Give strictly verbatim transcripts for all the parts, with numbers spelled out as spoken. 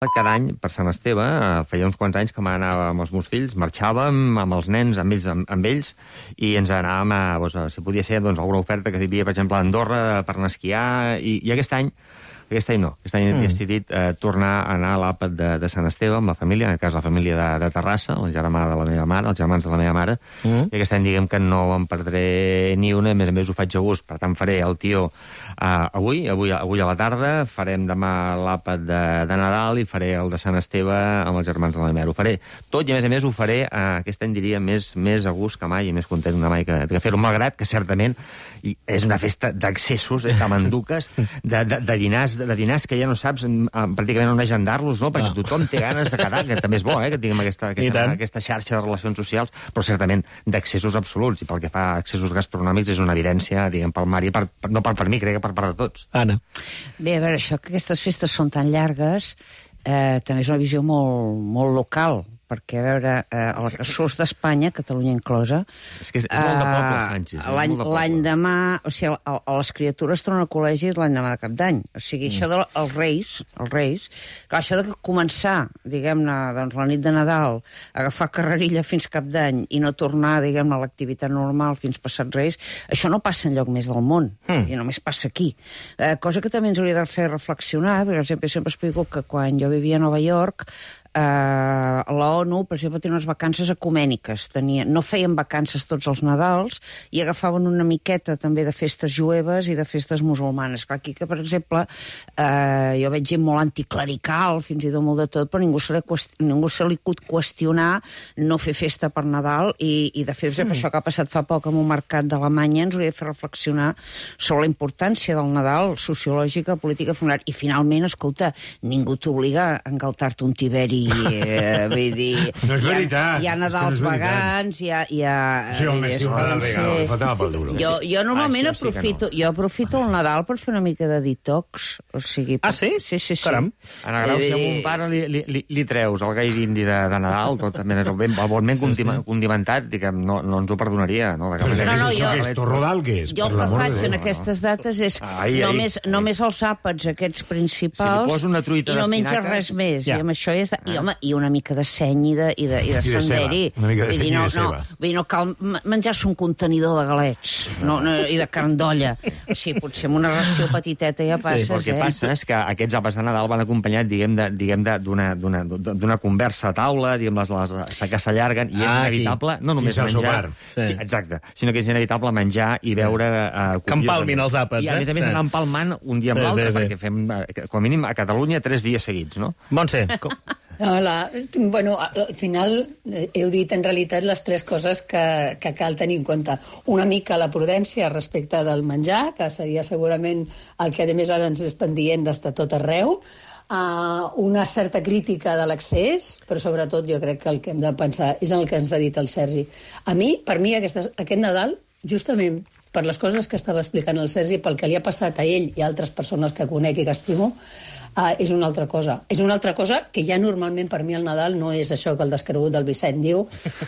Cada any, per Sant Esteve, feia uns quants anys que m'anava amb els meus fills, marxàvem amb els nens, amb ells, amb, amb ells i ens anàvem a, doncs, a, si podia ser, doncs, alguna oferta que hi havia, per exemple, a Andorra per anar a esquiar, i, i aquest any, aquest any no, aquest any mm. he decidit eh, tornar a anar a l'àpat de, de Sant Esteve amb la família, en aquest cas la família de, de Terrassa, el germà de la meva mare, els germans de la meva mare, mm. i aquest any diguem que no em perdré ni una, a més a més ho faig a gust, per tant faré el tió eh, avui, avui, avui a la tarda, farem demà l'àpat de, de Nadal i faré el de Sant Esteve amb els germans de la meva mare. Ho faré tot i a més a més ho faré, eh, aquest any diria, més, més a gust que mai i més content que mai que, que fer-ho, malgrat que certament i és una festa d'accessos, eh, de manduques, de, de, de dinars, de dinars que ja no saps pràcticament on agendar-los, no? Perquè no. Tothom té ganes de quedar, que també és bo, eh? Que tinguem aquesta, aquesta, aquesta xarxa de relacions socials, però certament d'accessos absoluts, i pel que fa a accessos gastronòmics és una evidència, diguem, pel Mari, per, per, no per, per mi, crec que per part de tots. Anna. Bé, a veure, això que aquestes festes són tan llargues eh, també és una visió molt, molt local, perquè, a veure, eh, el surs d'Espanya, Catalunya inclosa, és que és molt de poble, Sánchez. L'any l'any demà, o sigui, el, el, les criatures tornen al col·legi l'any demà de Cap d'Any. O sigui, mm. això dels Reis, els Reis, clar, això de començar, diguem-ne, doncs, la nit de Nadal, agafar carrerilla fins Cap d'Any i no tornar, diguem-ne, a l'activitat normal fins passat Reis, això no passa enlloc més del món, mm. i només passa aquí. Eh, cosa que també ens hauria de fer reflexionar, perquè, per exemple, sempre explico que quan jo vivia a Nova York, Uh, la ONU, per exemple, tenia unes vacances ecumèniques. Tenia, no feien vacances tots els Nadals i agafaven una miqueta també de festes jueves i de festes musulmanes. Clar, aquí que, per exemple, uh, jo veig gent molt anticlerical, fins i tot molt de tot, però ningú se li, qüesti ningú se li pot qüestionar no fer festa per Nadal i, i de fet, mm. això que ha passat fa poc en un mercat d'Alemanya ens hauria de fer reflexionar sobre la importància del Nadal, sociològica, política, familiar. I finalment, escolta, ningú t'obliga a engaltar-te un tiberi. Eh, vull dir, no és veritat. Hi ha, hi ha Nadals no vegans, hi ha... Hi ha sí, home, sí, un Nadal vegà, em faltava pel duro. Jo, jo normalment ah, sí, aprofito, sí no. jo aprofito el Nadal per fer una mica de detox, o sigui... Per... Ah, sí? Sí, sí, sí. Caram. Ana Grau, si a un pare li, li, li, li treus el gai d'indi de, de Nadal, tot també el ben, el bon ben sí, sí. condimentat, diguem, no, no ens ho perdonaria, no? Però no, no, jo... Què és, torrodal, què és? Jo el que faig en aquestes dates és ai, només, ai, només els àpats aquests principals si li poso una truita i no menges res més. Ja. I amb això és... De... I, home, i una mica de seny i de, i de, i de, I de senderi. Ceba. Una mica de seny no, i de ceba. No, vull dir, no cal menjar-se un contenidor de galets no, no, i de carn d'olla. O sigui, potser amb una ració petiteta ja passes, sí, el que eh? passa és que aquests àpats de Nadal van acompanyats, diguem, d'una conversa a taula, diguem, les, les que s'allarguen, i és ah, inevitable, no només menjar... Sí. Sí, exacte, sinó que és inevitable menjar i beure... Eh, que empalmin els àpats, eh? I a més a més sí. anar empalmant un dia amb sí, l'altre, sí, sí. perquè fem, com a mínim, a Catalunya, tres dies seguits, no? Montse, com... Hola. Bueno, al final heu dit en realitat les tres coses que, que cal tenir en compte. Una mica la prudència respecte del menjar, que seria segurament el que a més ara ens estan dient d'estar tot arreu, uh, una certa crítica de l'accés, però sobretot jo crec que el que hem de pensar és en el que ens ha dit el Sergi. A mi, per mi, aquest, aquest Nadal, justament per les coses que estava explicant el Sergi, pel que li ha passat a ell i a altres persones que conec i que estimo, Uh, és una altra cosa. És una altra cosa que ja normalment per mi el Nadal no és això que el descregut del Vicent diu,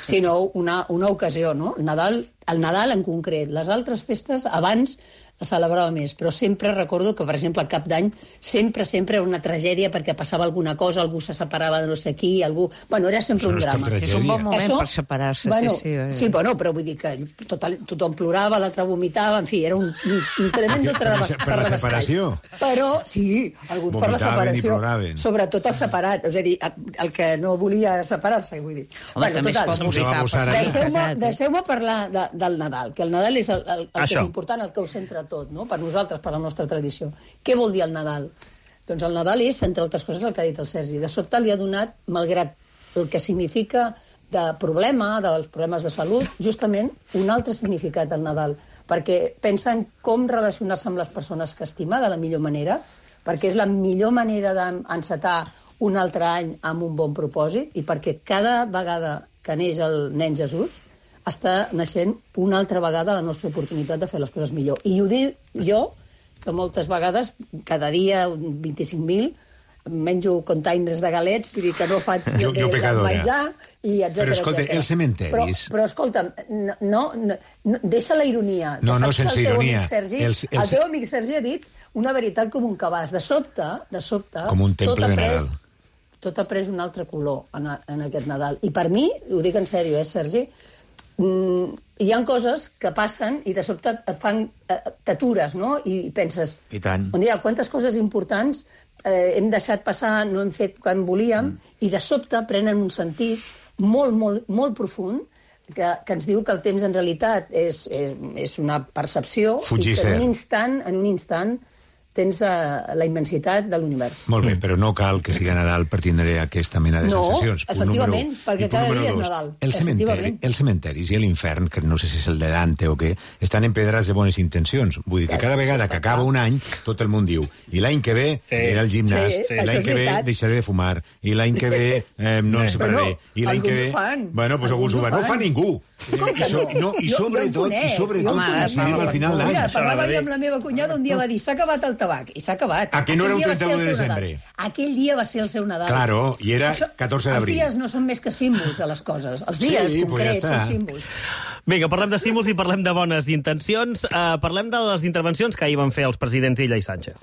sinó una, una ocasió, no? El Nadal, el Nadal en concret. Les altres festes abans es celebrava més, però sempre recordo que, per exemple, a Cap d'Any sempre, sempre era una tragèdia perquè passava alguna cosa, algú se separava de no sé qui, algú... Bueno, era sempre un drama. És un bon moment Això, per separar-se, bueno, sí, sí. Eh. Sí, bueno, però vull dir que total, tothom plorava, l'altre vomitava, en fi, era un, un, un tremendo terrabastall. Per la separació? Però, sí, alguns per la separació. Sobretot el separat, és a dir, el que no volia separar-se, vull dir. Home, bueno, també total, es pot vomitar. Deixeu-me deixeu parlar de, del Nadal, que el Nadal és el, el, el que és important, el que ho centra tot, no? Per nosaltres, per la nostra tradició. Què vol dir el Nadal? Doncs el Nadal és, entre altres coses, el que ha dit el Sergi. De sobte li ha donat, malgrat el que significa de problema, dels problemes de salut, justament un altre significat al Nadal. Perquè pensen com relacionar-se amb les persones que estima de la millor manera, perquè és la millor manera d'encetar un altre any amb un bon propòsit i perquè cada vegada que neix el nen Jesús està naixent una altra vegada la nostra oportunitat de fer les coses millor. I ho dic jo, que moltes vegades, cada dia vint-i-cinc mil, menjo containers de galets, vull dir que no faig jo, jo menjar, i etcètera. Però escolta, els cementeris... Però, però escolta'm, no, no, no, deixa la ironia. No, no, sense el ironia. Sergi, els, els... El teu amic Sergi ha dit una veritat com un cabàs. De sobte, de sobte... Com un temple de Nadal. tot ha pres un altre color en, a, en aquest Nadal. I per mi, ho dic en sèrio, eh, Sergi, mm, hi ha coses que passen i de sobte et fan, eh, t'atures, no? I penses, I tant. on dia, quantes coses importants eh, hem deixat passar, no hem fet quan volíem, mm. i de sobte prenen un sentit molt, molt, molt profund, que, que ens diu que el temps en realitat és, és, és una percepció Fugir i que en cert. un instant, en un instant tens uh, la immensitat de l'univers. Molt bé, però no cal que sigui Nadal per tindre aquesta mena de No, sensacions. Punt efectivament, número u. perquè I punt cada número dia és dos, Nadal. El cementeri, Efectivament. els cementaris i l'infern, que no sé si és el de Dante o què, estan empedrats de bones intencions. Vull dir que cada vegada que acaba un any, tot el món diu, i l'any que ve Sí. anirà al gimnàs, Sí, sí. i l'any Això és que ve veritat. deixaré de fumar, i l'any que ve eh, no em separaré, Bueno, i l'any que alguns ve... ho fan. Bueno, doncs alguns ho fan. No ho fa ningú. Com que I, so, no? no, i Jo- jo sobretot, en conec, i sobretot jo en coincidim conec. al final d'any. Mira, parlava Això jo amb la meva cunyada, un dia va dir, s'ha acabat el tabac, i s'ha acabat. A que no era un Aquell dia va trenta u ser de el seu desembre? Nadal. Aquell dia va ser el seu Nadal. Claro, i era Això- catorze d'abril. Els dies no són més que símbols de les coses. Els dies Sí, pues concrets ja són està. símbols. Vinga, parlem d'estímuls i parlem de bones intencions. Uh, parlem de les intervencions que ahir van fer els presidents Illa i Sánchez.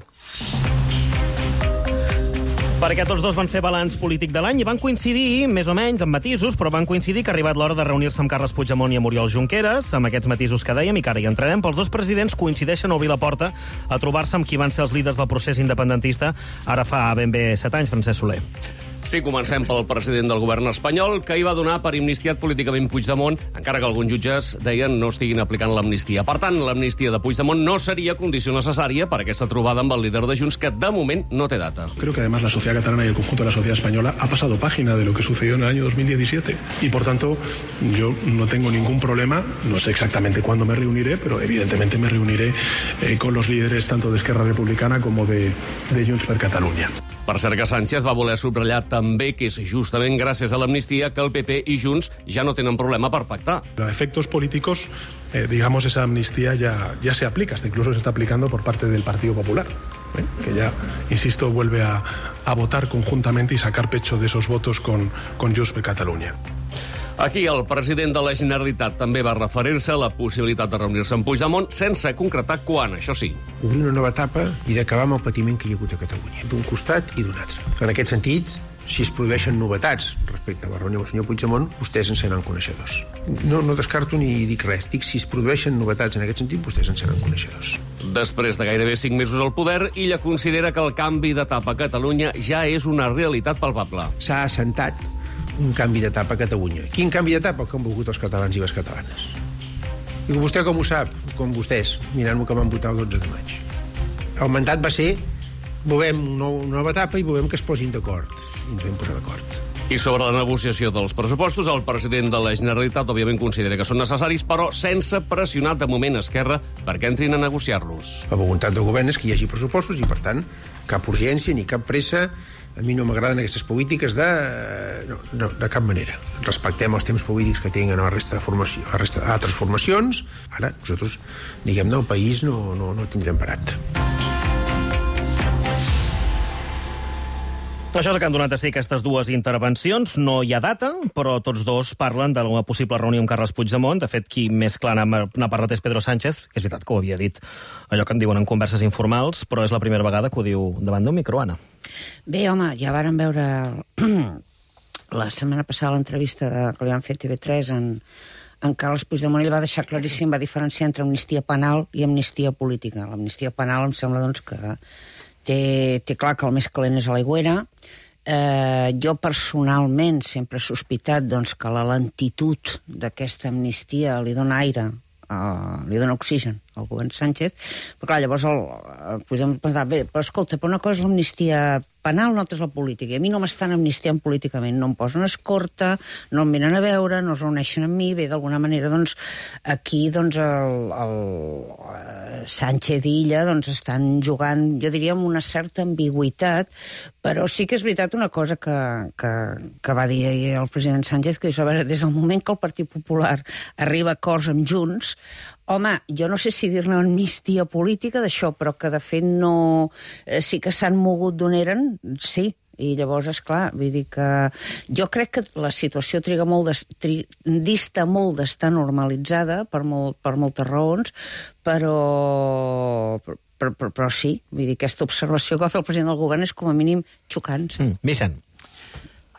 Perquè tots dos van fer balanç polític de l'any i van coincidir, més o menys, amb matisos, però van coincidir que ha arribat l'hora de reunir-se amb Carles Puigdemont i amb Oriol Junqueras, amb aquests matisos que dèiem, i que ara hi entrarem, però els dos presidents coincideixen a obrir la porta a trobar-se amb qui van ser els líders del procés independentista ara fa ben bé set anys, Francesc Soler. Sí, comencem pel president del govern espanyol, que hi va donar per amnistiat políticament Puigdemont, encara que alguns jutges deien no estiguin aplicant l'amnistia. Per tant, l'amnistia de Puigdemont no seria condició necessària per aquesta trobada amb el líder de Junts, que de moment no té data. Creo que además la sociedad catalana y el conjunto de la sociedad española ha pasado página de lo que sucedió en el año dos mil diecisiete. Y por tanto, yo no tengo ningún problema, no sé exactamente cuándo me reuniré, pero evidentemente me reuniré eh, con los líderes tanto de Esquerra Republicana como de, de Junts per Catalunya. Per cert que Sánchez va voler subratllar també que és justament gràcies a l'amnistia que el P P i Junts ja no tenen problema per pactar. A efectos políticos, eh, digamos, esa amnistía ya, ya se aplica, hasta incluso se está aplicando por parte del Partido Popular, ¿eh? Que ya, insisto, vuelve a, a votar conjuntamente y sacar pecho de esos votos con, con Junts per Catalunya. Aquí el president de la Generalitat també va referir-se a la possibilitat de reunir-se amb Puigdemont sense concretar quan, això sí. Obrir una nova etapa i d'acabar amb el patiment que hi ha hagut a Catalunya, d'un costat i d'un altre. En aquest sentit, si es produeixen novetats respecte a la reunió amb el senyor Puigdemont, vostès en seran coneixedors. No, no descarto ni dic res, dic si es produeixen novetats en aquest sentit, vostès en seran coneixedors. Després de gairebé cinc mesos al poder, Illa considera que el canvi d'etapa a Catalunya ja és una realitat palpable. S'ha assentat un canvi d'etapa a Catalunya. Quin canvi d'etapa? Que han volgut els catalans i les catalanes. I vostè com ho sap? Com vostès, mirant-ho que van votar el dotze de maig. El mandat va ser volem una nova etapa i volem que es posin d'acord. I ens vam posar d'acord. I sobre la negociació dels pressupostos, el president de la Generalitat òbviament considera que són necessaris, però sense pressionar de moment Esquerra perquè entrin a negociar-los. La voluntat del govern és que hi hagi pressupostos i, per tant, cap urgència ni cap pressa. A mi no m'agraden aquestes polítiques de, no, no, de cap manera. Respectem els temps polítics que tenen a la resta de formació, a la resta d'altres formacions. Ara, nosaltres, diguem-ne, el país no, no, no tindrem parat. Això és el que han donat a ser aquestes dues intervencions. No hi ha data, però tots dos parlen de una possible reunió amb Carles Puigdemont. De fet, qui més clar n'ha parlat és Pedro Sánchez, que és veritat que ho havia dit allò que en diuen en converses informals, però és la primera vegada que ho diu davant d'un micro, Anna. Bé, home, ja varen veure la setmana passada l'entrevista de, que li han fet T V tres en, en Carles Puigdemont. Ell va deixar claríssim, va diferenciar entre amnistia penal i amnistia política. L'amnistia penal em sembla doncs, que té, té clar que el més calent és a l'aigüera. Eh, jo personalment sempre he sospitat doncs, que la lentitud d'aquesta amnistia li dona aire, uh, li dona oxigen al govern Sánchez, però clar, llavors el, el podem pensar, bé, però escolta, però una cosa és l'amnistia penal, una altra és la política, i a mi no m'estan amnistiant políticament, no em posen escorta, no em venen a veure, no es reuneixen amb mi, bé, d'alguna manera, doncs, aquí, doncs, el, el Sánchez i Illa, doncs, estan jugant, jo diria, amb una certa ambigüitat, però sí que és veritat una cosa que, que, que va dir el president Sánchez, que és, a veure, des del moment que el Partit Popular arriba a acords amb Junts, home, jo no sé si dir-ne amnistia política d'això, però que de fet no... Eh, sí que s'han mogut d'on eren, sí. I llavors, esclar, vull dir que... Jo crec que la situació triga molt de, tri, dista molt d'estar normalitzada per, molt, per moltes raons, però... Però, però, però sí, vull dir, aquesta observació que va fer el president del govern és com a mínim xocant. Mm, Vicent.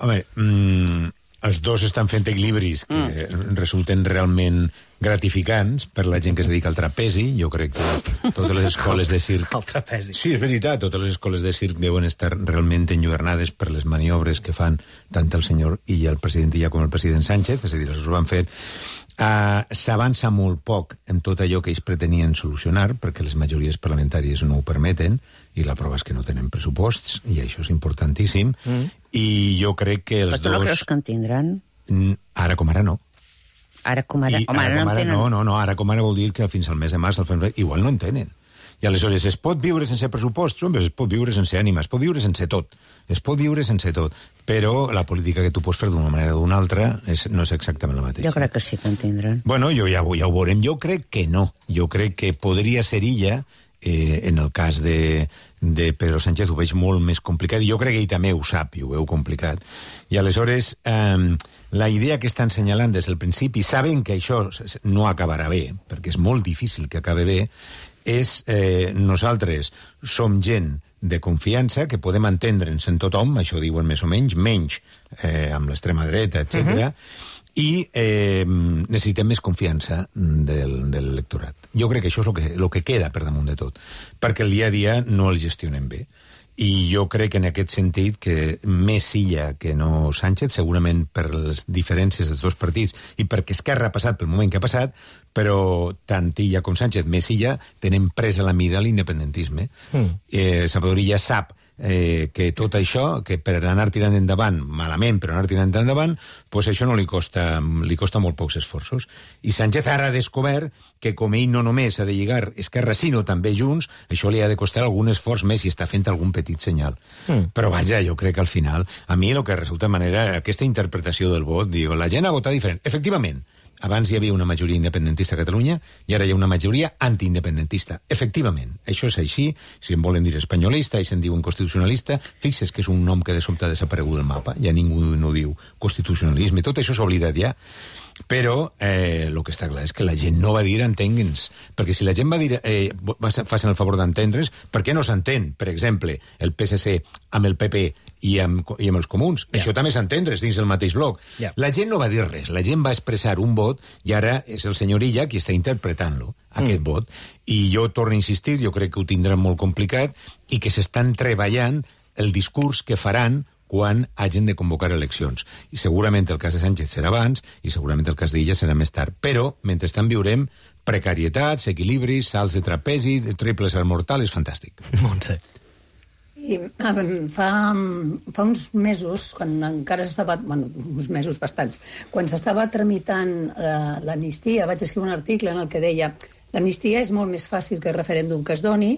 Home, mm, els dos estan fent equilibris que mm. resulten realment gratificants per la gent que es dedica al trapezi. Jo crec que totes les escoles de circ... El trapezi. Sí, és veritat, totes les escoles de circ deuen estar realment enlluernades per les maniobres que fan tant el senyor Illa, el president Illa, com el president Sánchez, és a dir, els ho van fer. Uh, S'avança molt poc en tot allò que ells pretenien solucionar, perquè les majories parlamentàries no ho permeten, i la prova és que no tenen pressuposts, i això és importantíssim, mm. i jo crec que els dos... Però tu no dos... creus que en tindran? Ara com ara no. Ara com ara... I Home, ara, ara com no ara tenen... no, no, no, ara com ara vol dir que fins al mes de març, al febrer, igual no en tenen. I aleshores es pot viure sense pressuposts? Home, es pot viure sense ànima, es pot viure sense tot. Es pot viure sense tot. Però la política que tu pots fer d'una manera o d'una altra és, no és exactament la mateixa. Jo crec que sí que en tindran. Bueno, jo ja, ja ho veurem. Jo crec que no. Jo crec que podria ser Illa, eh, en el cas de, de Pedro Sánchez ho veig molt més complicat, i jo crec que ell també ho sap i ho veu complicat. I aleshores, eh, la idea que estan assenyalant des del principi, saben que això no acabarà bé, perquè és molt difícil que acabi bé, és eh, nosaltres som gent de confiança, que podem entendre'ns en tothom, això diuen més o menys, menys eh, amb l'extrema dreta, etcètera, uh-huh. i eh, necessitem més confiança del, del electorat. Jo crec que això és el que, el que queda per damunt de tot, perquè el dia a dia no el gestionem bé. I jo crec en aquest sentit que més Illa que no Sánchez, segurament per les diferències dels dos partits i perquè Esquerra ha passat pel moment que ha passat, però tant Illa com Sánchez, més Illa, tenen presa la mida a l'independentisme. Mm. Eh, Salvador Illa sap eh, que tot això, que per anar tirant endavant, malament, però anar tirant endavant, pues això no li costa, li costa molt pocs esforços. I Sánchez ara ha descobert que com ell no només ha de lligar Esquerra, sinó també Junts, això li ha de costar algun esforç més i està fent algun petit senyal. Mm. Però vaja, jo crec que al final, a mi el que resulta de manera, aquesta interpretació del vot, digo, la gent ha votat diferent. Efectivament, abans hi havia una majoria independentista a Catalunya i ara hi ha una majoria antiindependentista. Efectivament, això és així. Si en volen dir espanyolista i se'n diuen constitucionalista, fixes que és un nom que de sobte ha desaparegut del mapa. Ja ningú no diu constitucionalisme. Tot això s'ha oblidat ja. Però eh, el que està clar és que la gent no va dir entengue'ns, perquè si la gent va dir eh, facin el favor d'entendre's, per què no s'entén, per exemple, el P S C amb el P P i amb, i amb els comuns? Yeah. Això també és entendre's dins del mateix bloc. Yeah. La gent no va dir res, la gent va expressar un vot i ara és el senyor Illa qui està interpretant-lo, aquest mm. vot. I jo torno a insistir, jo crec que ho tindran molt complicat i que s'estan treballant el discurs que faran quan hagin de convocar eleccions. I segurament el cas de Sánchez serà abans i segurament el cas d'Illa serà més tard. Però, mentrestant, viurem precarietats, equilibris, salts de trapezi, triples al mortal, és fantàstic. Montse. I, fa, fa uns mesos, quan encara estava... Bueno, uns mesos bastants. Quan s'estava tramitant l'amnistia, vaig escriure un article en el que deia l'amnistia és molt més fàcil que el referèndum que es doni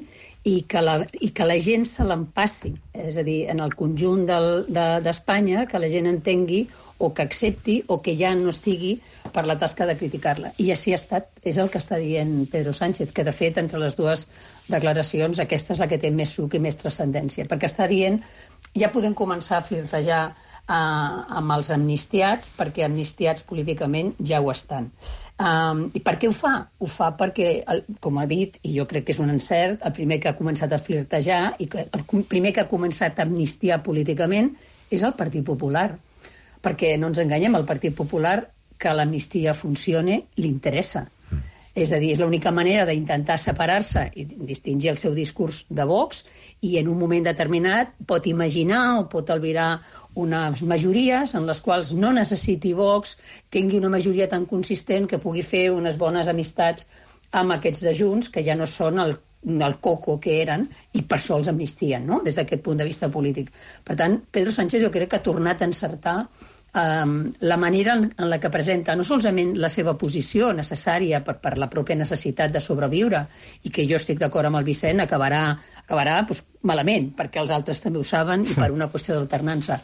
i que la, i que la gent se l'empassi. És a dir, en el conjunt d'Espanya, de, que la gent entengui o que accepti o que ja no estigui per la tasca de criticar-la. I així ha estat, és el que està dient Pedro Sánchez, que de fet, entre les dues declaracions, aquesta és la que té més suc i més transcendència, perquè està dient ja podem començar a flirtejar eh, amb els amnistiats, perquè amnistiats políticament ja ho estan. Um, I per què ho fa? Ho fa perquè, el, com ha dit, i jo crec que és un encert, el primer que ha començat a flirtejar i que el primer que ha començat a amnistiar políticament és el Partit Popular. Perquè no ens enganyem, el Partit Popular, que l'amnistia funcione, li interessa. És a dir, és l'única manera d'intentar separar-se i distingir el seu discurs de Vox i en un moment determinat pot imaginar o pot albirar unes majories en les quals no necessiti Vox, tingui una majoria tan consistent que pugui fer unes bones amistats amb aquests de Junts, que ja no són el, el coco que eren, i per això els amnistien, no?, des d'aquest punt de vista polític. Per tant, Pedro Sánchez jo crec que ha tornat a encertar Um, la manera en, en la que presenta no solament la seva posició necessària per, per la pròpia necessitat de sobreviure, i que jo estic d'acord amb el Vicent, acabarà, acabarà doncs, malament, perquè els altres també ho saben i per una qüestió d'alternança.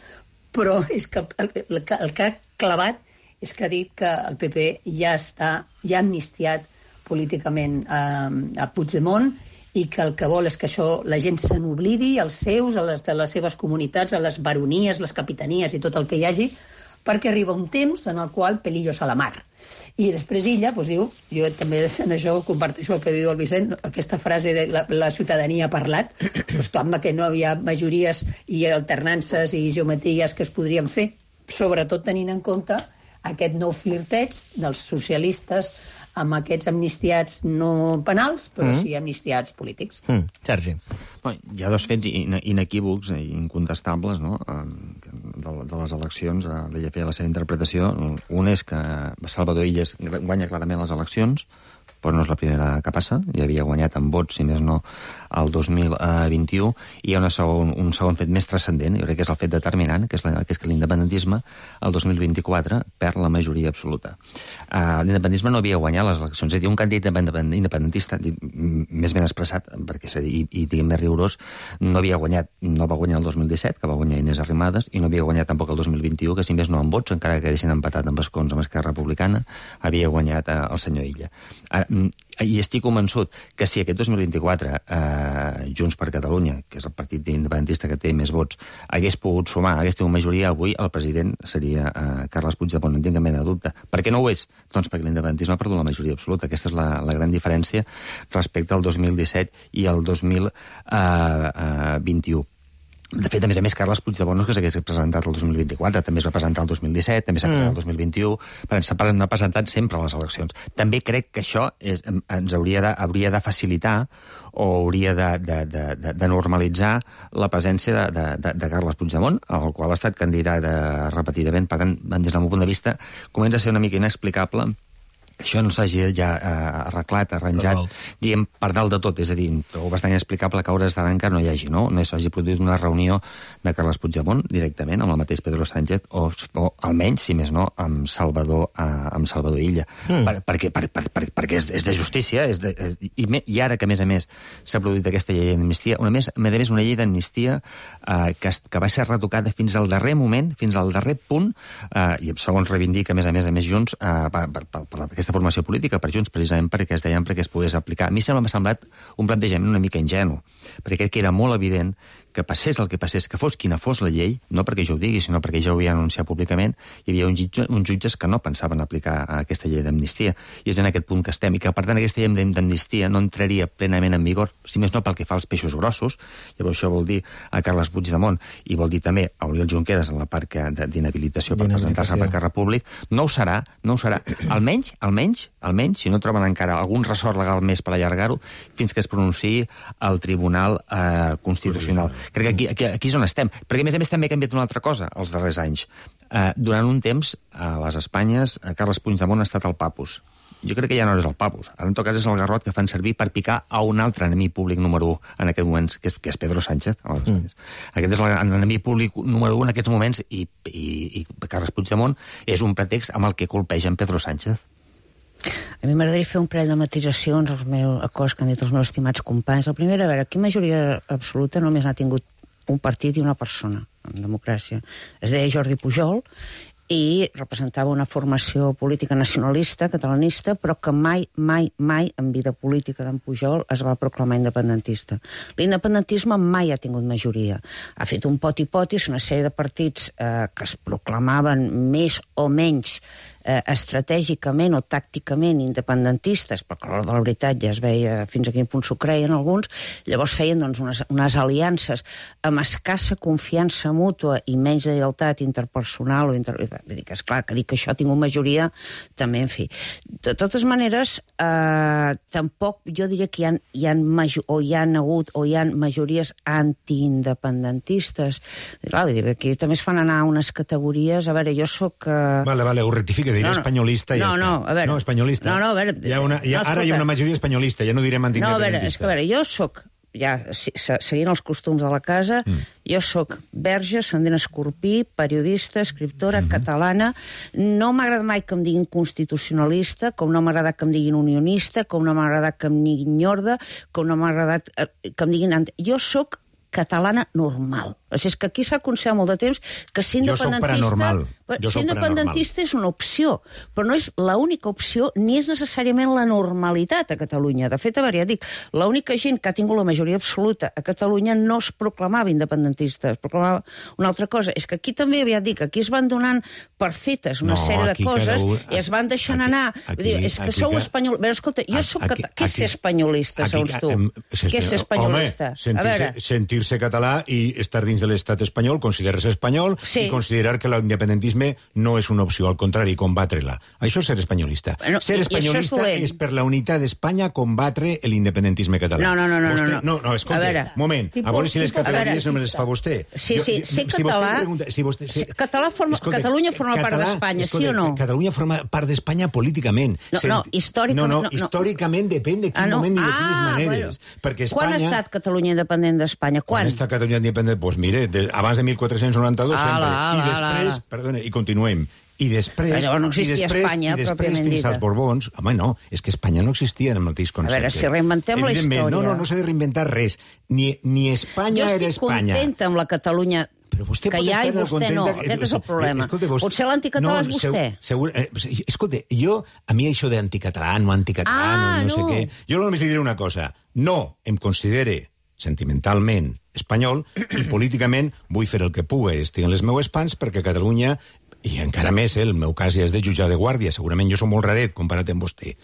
Però és que el, el, el que ha clavat és que ha dit que el P P ja està, ja ha amnistiat políticament um, a Puigdemont i que el que vol és que això la gent se n'oblidi, els seus, a les de les seves comunitats, a les baronies, les capitanies i tot el que hi hagi, perquè arriba un temps en el qual pelillos a la mar. I després Illa doncs, diu, jo també en això comparteixo el que diu el Vicent, aquesta frase de la, la ciutadania ha parlat, doncs, home, que no havia majories i alternances i geometries que es podrien fer, sobretot tenint en compte aquest nou flirteig dels socialistes amb aquests amnistiats no penals, però mm. sí amnistiats polítics. Mm. Sergi. Bueno, hi ha dos fets inequívocs i incontestables, no?, de, de les eleccions. L'Illa feia la seva interpretació. Un és que Salvador Illas guanya clarament les eleccions, però no és la primera que passa, ja havia guanyat amb vots, si més no, el dos mil vint-i-u, i hi ha una segon, un segon fet més transcendent, jo crec que és el fet determinant, que és, la, que és que l'independentisme, el dos mil vint-i-quatre, perd la majoria absoluta. Uh, l'independentisme no havia guanyat les eleccions, és a dir, un candidat independentista, més ben expressat, perquè i, i diguem més rigorós, no havia guanyat, no va guanyar el dos mil disset, que va guanyar Inés Arrimadas, i no havia guanyat tampoc el dos mil vint-i-u, que si més no amb vots, encara que deixin empatat amb escons amb Esquerra Republicana, havia guanyat uh, el senyor Illa. Ara, i estic convençut que si aquest dos mil vint-i-quatre eh, Junts per Catalunya, que és el partit independentista que té més vots, hagués pogut sumar, hagués tingut majoria, avui el president seria eh, Carles Puigdemont, no en tinc cap mena de dubte. Per què no ho és? Doncs perquè l'independentisme ha perdut la majoria absoluta. Aquesta és la, la gran diferència respecte al dos mil disset i al dos mil vint-i-u. De fet, a més a més, Carles Puigdemont no és que s'hagués presentat el dos mil vint-i-quatre, també es va presentar el dos mil disset, també s'ha presentat el dos mil vint-i-u, però s'ha presentat sempre a les eleccions. També crec que això és, ens hauria de, hauria de facilitar o hauria de, de, de, de, de normalitzar la presència de, de, de, de Carles Puigdemont, al qual ha estat candidat repetidament. Per tant, des del meu punt de vista, comença a ser una mica inexplicable això no s'hagi ja eh, arreglat, arranjat, diguem, per dalt de tot. És a dir, trobo bastant inexplicable que a hores d'ara encara no hi hagi, no? No s'hagi produït una reunió de Carles Puigdemont directament amb el mateix Pedro Sánchez, o, o almenys, si més no, amb Salvador, eh, amb Salvador Illa. Mm. Per, perquè per, per, per, perquè és, és de justícia, és de, és, i, me, i ara que, a més a més, s'ha produït aquesta llei d'amnistia, una més, a més a més, una llei d'amnistia eh, que, que va ser retocada fins al darrer moment, fins al darrer punt, eh, i segons reivindica, a més a més, a més Junts, eh, per, per, per, per aquesta formació política per Junts, precisament perquè es deien perquè es pogués aplicar. A mi sempre m'ha semblat un plantejament una mica ingenu, perquè crec que era molt evident que passés el que passés, que fos quina fos la llei, no perquè jo ho digui, sinó perquè ja ho havia anunciat públicament, hi havia uns jutges, uns jutges que no pensaven aplicar aquesta llei d'amnistia, i és en aquest punt que estem, i que per tant aquesta llei d'amnistia no entraria plenament en vigor, si més no pel que fa als peixos grossos. Llavors això vol dir a Carles Puigdemont, i vol dir també a Oriol Junqueras en la part d'inhabilitació per presentar-se per Carrer Públic. No ho serà, no ho serà. Almenys, almenys, almenys, si no troben encara algun ressort legal més per allargar-ho, fins que es pronunciï el Tribunal eh, Constitucional. Crec que aquí, aquí, aquí és on estem. Perquè, a més a més, també ha canviat una altra cosa els darrers anys. Eh, durant un temps, a les Espanyes, Carles Puigdemont ha estat el papus. Jo crec que ja no és el papus. Ara, en tot cas, és el garrot que fan servir per picar a un altre enemic públic número u en aquest moment, que és, que és Pedro Sánchez. A les Espanyes. Mm. Aquest és l'enemic públic número u en aquests moments, i, i, i Carles Puigdemont és un pretext amb el que colpegen Pedro Sánchez. A mi m'agradaria fer un parell de matisacions als meus, a coses que han dit els meus estimats companys. La primera, a veure, aquí majoria absoluta només n'ha tingut un partit i una persona en democràcia. Es deia Jordi Pujol i representava una formació política nacionalista, catalanista, però que mai, mai, mai en vida política d'en Pujol es va proclamar independentista. L'independentisme mai ha tingut majoria. Ha fet un poti-potis, una sèrie de partits eh, que es proclamaven més o menys eh, estratègicament o tàcticament independentistes, perquè a l'hora de la veritat ja es veia fins a quin punt s'ho creien alguns, llavors feien doncs, unes, unes aliances amb escassa confiança mútua i menys lleialtat interpersonal o inter... Vull dir que, esclar, que dir que això ha tingut majoria, també, en fi. De totes maneres, eh, tampoc jo diria que hi ha, hi ha major, o hi ha hagut o hi ha majories antiindependentistes. Clar, vull dir, aquí també es fan anar unes categories. A veure, jo sóc... Eh... Vale, vale, ho rectifique, diré no, no. espanyolista i no, ja està. No, a veure... No, espanyolista. No, no, a veure... Hi ha una, hi ha, no, ara hi ha una majoria espanyolista, ja no direm antiindependentista. No, a veure, és que a veure, jo sóc... ja, seguint els costums de la casa, mm. jo sóc verge, ascendent escorpí, periodista, escriptora, mm-hmm. catalana. No m'ha agradat mai que em diguin constitucionalista, com no m'ha agradat que em diguin unionista, com no m'ha agradat que em diguin nyorda, com no m'ha agradat que em diguin... Jo sóc catalana normal. O sigui, és que aquí s'ha aconsellat molt de temps que ser independentista... Jo sóc paranormal. Jo ser soc independentista és una opció, però no és l'única opció ni és necessàriament la normalitat a Catalunya. De fet, a veure, ja dic, l'única gent que ha tingut la majoria absoluta a Catalunya no es proclamava independentista, es proclamava una altra cosa. És que aquí també, ja dic, aquí es van donant per fetes una No, sèrie de aquí coses cada un- i es van deixant aquí- anar. aquí- Vull dir, és que aquí sou ca- espanyol... A veure, escolta, jo soc... Aquí- cata- Què és ser aquí- espanyolista, aquí- segons tu? em, Què és ser espanyolista? Home, A sentir-se veure, sentir-se català i estar dins de l'estat espanyol, considerar-se espanyol Sí. i considerar que l'independentisme no és una opció, al contrari, combatre-la. Això és ser espanyolista. Bueno, ser i- i això és espanyolista dolent. és per la unitat d'Espanya combatre l'independentisme català. No, no, no, no, Vostè, no, no. No, escolta, A veure. moment, Tipus- a veure si les tipus catalanes no me les fascista. fa vostè. Sí, sí, ser si vostè em català- pregunta, si vostè, si, ser català forma- Catalunya forma part d'Espanya, sí escolta, o no? Catalunya forma part d'Espanya políticament. No, no, històricament- No, no, no, no. històricament depèn de quin Ah, no. moment i de quines Ah, maneres. Perquè Espanya... Quan ha estat Catalunya independent d'Espanya? Quan Quan? està Catalunya independent? Doncs mire, de, abans de mil quatre-cents noranta-dos Ala, sempre. ala, I després, ala. perdona, i continuem. I després... Però llavors no existia i després, Espanya, i després pròpiament fins dita. als Borbons... Home, no, és que Espanya no existia en el mateix concepte. veure, si reinventem la Evidentment, història. No, no, no s'ha de reinventar res. Ni, ni Espanya Jo era estic Espanya. contenta amb la Catalunya Però vostè que pot hi ha estar i vostè contenta no. que- Aquest és el problema. Escolta, vostè- Potser l'anticatalà és vostè. Segur, eh, escolta, jo, a mi això d'anticatalà, no anticatalà, Ah, no, no sé no. què... Jo només li diré una cosa. No em considere sentimentalment espanyol i políticament vull fer el que pugui. Estic en les meues pans perquè Catalunya, i encara més, eh, el meu cas ja és de jutjar de guàrdia, segurament jo soc molt raret comparat amb vostè.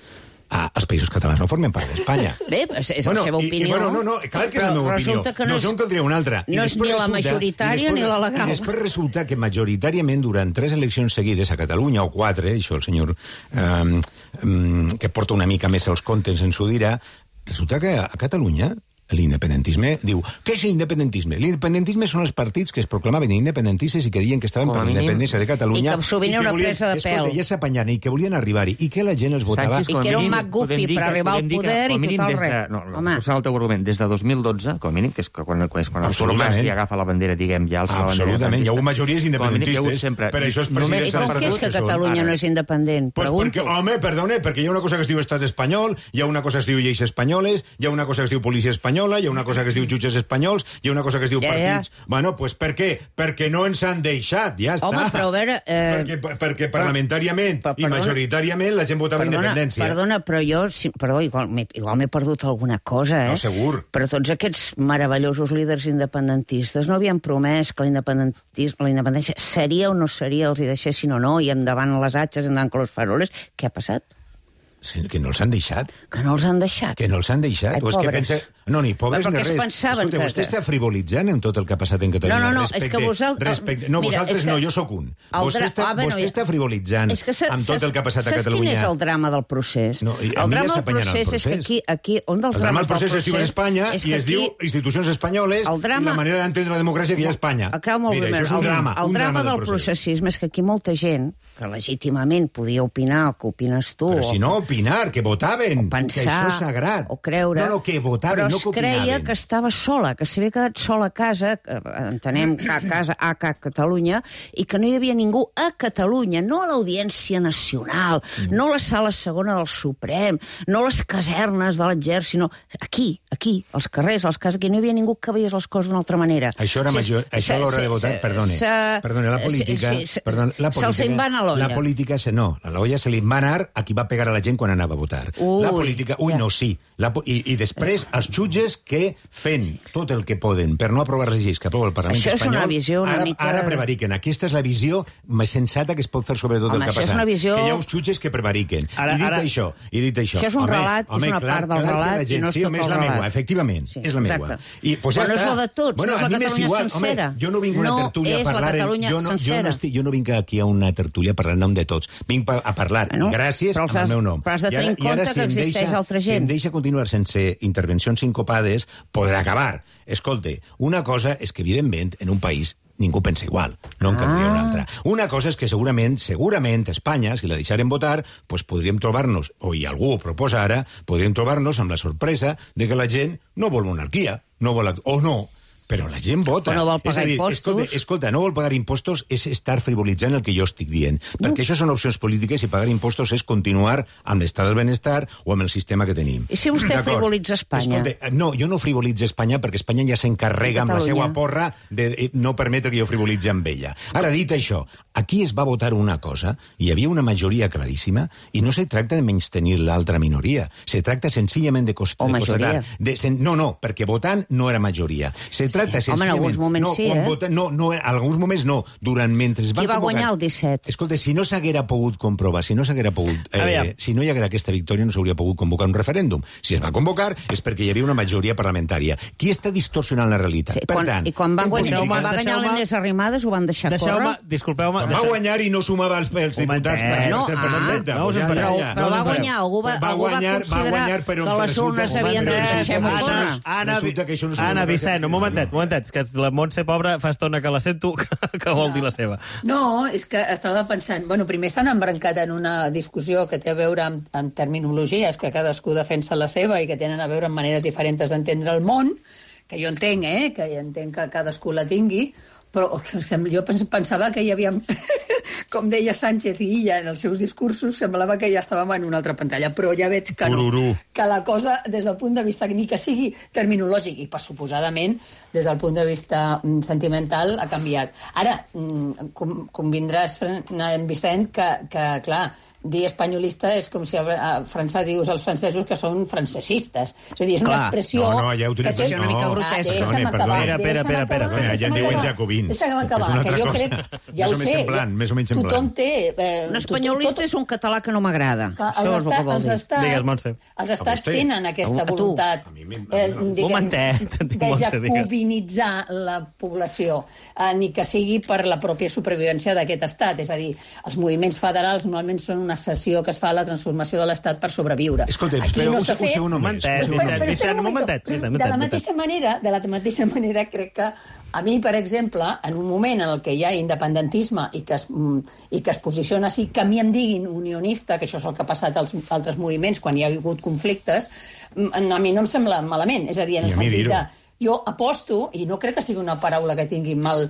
Ah, els països catalans no formen part d'Espanya. Bé, és, és la seva i, opinió. I, bueno, no, no, clar que és però la meva opinió. resulta que no, no, és, no en caldria una altra. I no és després ni la resulta- majoritària i després- ni la legal. I després resulta que majoritàriament durant tres eleccions seguides a Catalunya, o quatre, això el senyor eh, eh, que porta una mica més els comptes ens ho dirà, resulta que a Catalunya l'independentisme diu, què és l'independentisme? L'independentisme són els partits que es proclamaven independentistes i que diuen que estaven Com a per la mínim. independència de Catalunya. I que sovint era una volien- presa de escolta, pèl. ja s'apanyaren i que volien arribar-hi i que la gent els votava. Sánchez, I com a que era un mínim, McGuffey podem dir per que- arribar al podem dir que, poder com a i mínim, tot el des de- res. No, no, Home. posant el teu argument, des de dos mil dotze, com a mínim, que és que quan, és quan el Absolutament. Mas ja agafa la bandera, diguem, ja alça la bandera Absolutament, hi ha hagut independentista. majories Com a mínim, hi ha hagut independentistes, sempre- per això els només presidents I s'han per perdut què és que que són. Catalunya Ara. no és independent? Pues Pregunto. perquè, home, perdone, perquè hi ha una cosa que es diu estat espanyol, hi ha una cosa que es diu lleis espanyoles, hi ha una cosa que es diu policia espanyola, hi ha una cosa que es diu jutges espanyols, hi ha una cosa que es diu Ja, partits... ja. Bueno, pues per què? Perquè no ens han deixat, ja està. Home, però a veure, eh, perquè, perquè parlamentàriament però- i perdona- majoritàriament la gent votava Perdona, independència. perdona, però jo... si- Perdó, igual m'he igual m'he perdut alguna cosa, eh? No, segur. Però tots aquests meravellosos líders independentistes no havien promès que l'independentis- la independència seria o no seria, els hi deixessin o no, i endavant les atxes, endavant con los faroles. Què ha passat? Sí, que no els han deixat. Que no els han deixat. Que no els han deixat. Ai, o és que pobres. pensa... No, ni pobres Però ni perquè es res. pensaven Escolta, que- vostè està frivolitzant amb tot el que ha passat en Catalunya. No, no, no, respecte, és que vosaltres- Respecte, no, Mira, vosaltres és que no, jo sóc un. el Vostè, dra- està, ah, bueno, vostè ja- està frivolitzant És que sa- amb tot saps- el que ha passat a saps Catalunya. quin és el drama del procés? No, i a el mi ja drama del s'apanyarà el procés és que procés. aquí, aquí un dels El drama drames del procés del es diu en Espanya és i que es aquí- diu institucions espanyoles el drama- i la manera d'entendre la democràcia que hi ha a Espanya. Acaba molt Mira, bé. això és un el, drama. El un drama, drama del processisme és que aquí molta gent, que legítimament podia opinar el que opines tu... Però o si no opinar, que votaven, o pensar, que això és sagrat. o creure... No, no, que votaven, però no que es creia opinaven. que estava sola, que s'havia quedat sola a casa, que entenem que a casa a ca Catalunya, i que no hi havia ningú a Catalunya, no a l'Audiència Nacional, mm. no a la sala segona del Suprem, no a les casernes de l'exèrcit, no... Aquí, aquí, als carrers, als cases, aquí no hi havia ningú que veiés les coses d'una altra manera. Això era major, Sí, això a l'hora de votar, perdone, perdone, la política, sí, sí, perdone, la política, se'ls en va anar l'olla. la política, se, no, a l'olla se li va anar a qui va pegar a la gent quan anava a votar. Ui, la política, ui, ja. no, sí, la, po- i, i després els jutges que fent tot el que poden per no aprovar les lleis que aprova el Parlament Això és espanyol, una visió una ara, mica- ara prevariquen. Aquesta és la visió més sensata que es pot fer sobre tot Home, el que ha això és passat. una visió- Que hi ha uns jutges que prevariquen. Ara- I dit ara- això, i dit això... Això és un home, relat, és home, una clar, part del clar que relat la i gent, no és sí, tot home, és el la relat. meua, efectivament, Sí, és la meua. exacte. I, pues, Però ja no és està. la de tots, bueno, no és la a mi m'és Catalunya igual. sencera. Home, jo no vinc a una No tertúlia és a la parlar... en- Catalunya jo, no, jo, sencera. no estic, jo no vinc aquí a una tertúlia a parlar en nom de tots. Vinc pa- a parlar, Bueno, gràcies, però amb els el has- meu nom. però has de I ara- tenir en i ara, compte si que em existeix deixa- altra Si em gent. deixa continuar sense intervencions sincopades, podrà acabar. Escolta, una cosa és que, evidentment, en un país ningú pensa igual, no en caldria Ah. una altra. Una cosa és que segurament, segurament, Espanya, si la deixaren votar, pues podríem trobar-nos, o i algú ho proposa ara, podríem trobar-nos amb la sorpresa de que la gent no vol monarquia, no vol, o no, però la gent vota. O no vol pagar és a dir, impostos. Escolta, escolta, no vol pagar impostos és estar frivolitzant el que jo estic dient. No. Perquè això són opcions polítiques i pagar impostos és continuar amb l'estat del benestar o amb el sistema que tenim. I si vostè frivolitza Espanya? Escolta, no, jo no frivolitzo Espanya perquè Espanya ja s'encarrega amb la seva porra de no permetre que jo frivolitzi amb ella. Ara, dit això, aquí es va votar una cosa, hi havia una majoria claríssima, i no se tracta de menystenir l'altra minoria, se tracta senzillament de constatar... O majoria. De, sen, no, no, perquè votant no era majoria. Se tracta Sí. Home, en alguns moments no, sí, eh? Vota, no, no, en alguns moments no. Durant mentre es van Qui va convocar... guanyar el disset? Escolta, si no s'haguera pogut comprovar, si no s'haguera pogut... Eh, si no hi haguera aquesta victòria, no s'hauria pogut convocar un referèndum. Si es va convocar és perquè hi havia una majoria parlamentària. Qui està distorsionant la realitat? Sí, per quan, tant, I quan va guanyar, Deixeu-me- quan va guanyar deixeu-me- l'Inés Arrimadas ho van deixar Deixeu-me, córrer? disculpeu-me... quan va deixeu- guanyar i no sumava els, els diputats per, Bueno, per ser ah, presidenta. no us Pues ja, espereu. ja, ja. Però va No, guanyar, algú va, va algú va guanyar, va considerar guanyar, però que les resulta- urnes havien de però deixar resulta- córrer. Anna, Anna, Resulta que això no s'ho Anna va Vicent, fer. un momentet, un momentet, que la Montse pobra fa estona que la sento que, que vol dir la seva. No, és que estava pensant... Bueno, primer s'han embrancat en una discussió que té a veure amb, amb terminologies, que cadascú defensa la seva i que tenen a veure amb maneres diferents d'entendre el món, que jo entenc, eh?, que jo entenc que cadascú la tingui, però jo pensava que hi havia, com deia Sánchez i Illa en els seus discursos, semblava que ja estàvem en una altra pantalla, però ja veig que no, Tururú. que la cosa, des del punt de vista ni que sigui terminològic i, per suposadament, des del punt de vista mm, sentimental, ha canviat. Ara, mm, com, convindràs, Fran- Vicent, que, que, clar, dir espanyolista és com si a a França dius als francesos que són francesistes. És a dir, és una Clar. expressió... No, no, ja utilitzes- que té- una mica no, grotesca. Ah, deixa'm perdone, acabar, perdone. Espera, espera, deixa'm espera, acabar, espera. Ja en deixa'm diuen acabar. jacobins. Deixa'm És acabar, una que altra jo cosa. crec... Ja Més ho o menys sé. semblant, més o menys Tothom semblant. té... Eh, Un espanyolista és un català que no m'agrada. Clar, Això els, és el que estat, vol els dir. estats, Digues, Montse. els estats vostè? tenen aquesta A tu. voluntat A mi m'im- eh, no. diguem, Momentet, de Montse, digues. jacobinitzar la població, eh, ni que sigui per la pròpia supervivència d'aquest estat. És a dir, els moviments federals normalment són una cessió que es fa a la transformació de l'estat per sobreviure. Escolta, Aquí espera, no un, s'ha un fet... segon només. Momentet, un segon Vicent, només. Vicent, un un momentet, momentet. Vicent, De la momentet. mateixa manera, de la mateixa manera, crec que a mi, per exemple, en un moment en el que hi ha independentisme i que es, mm, i que es posiciona així, que a mi em diguin unionista, que això és el que ha passat als altres moviments quan hi ha hagut conflictes, mm, a mi no em sembla malament. És a dir, en Ni el a mi sentit dir-ho. de... Jo aposto, i no crec que sigui una paraula que tingui mal,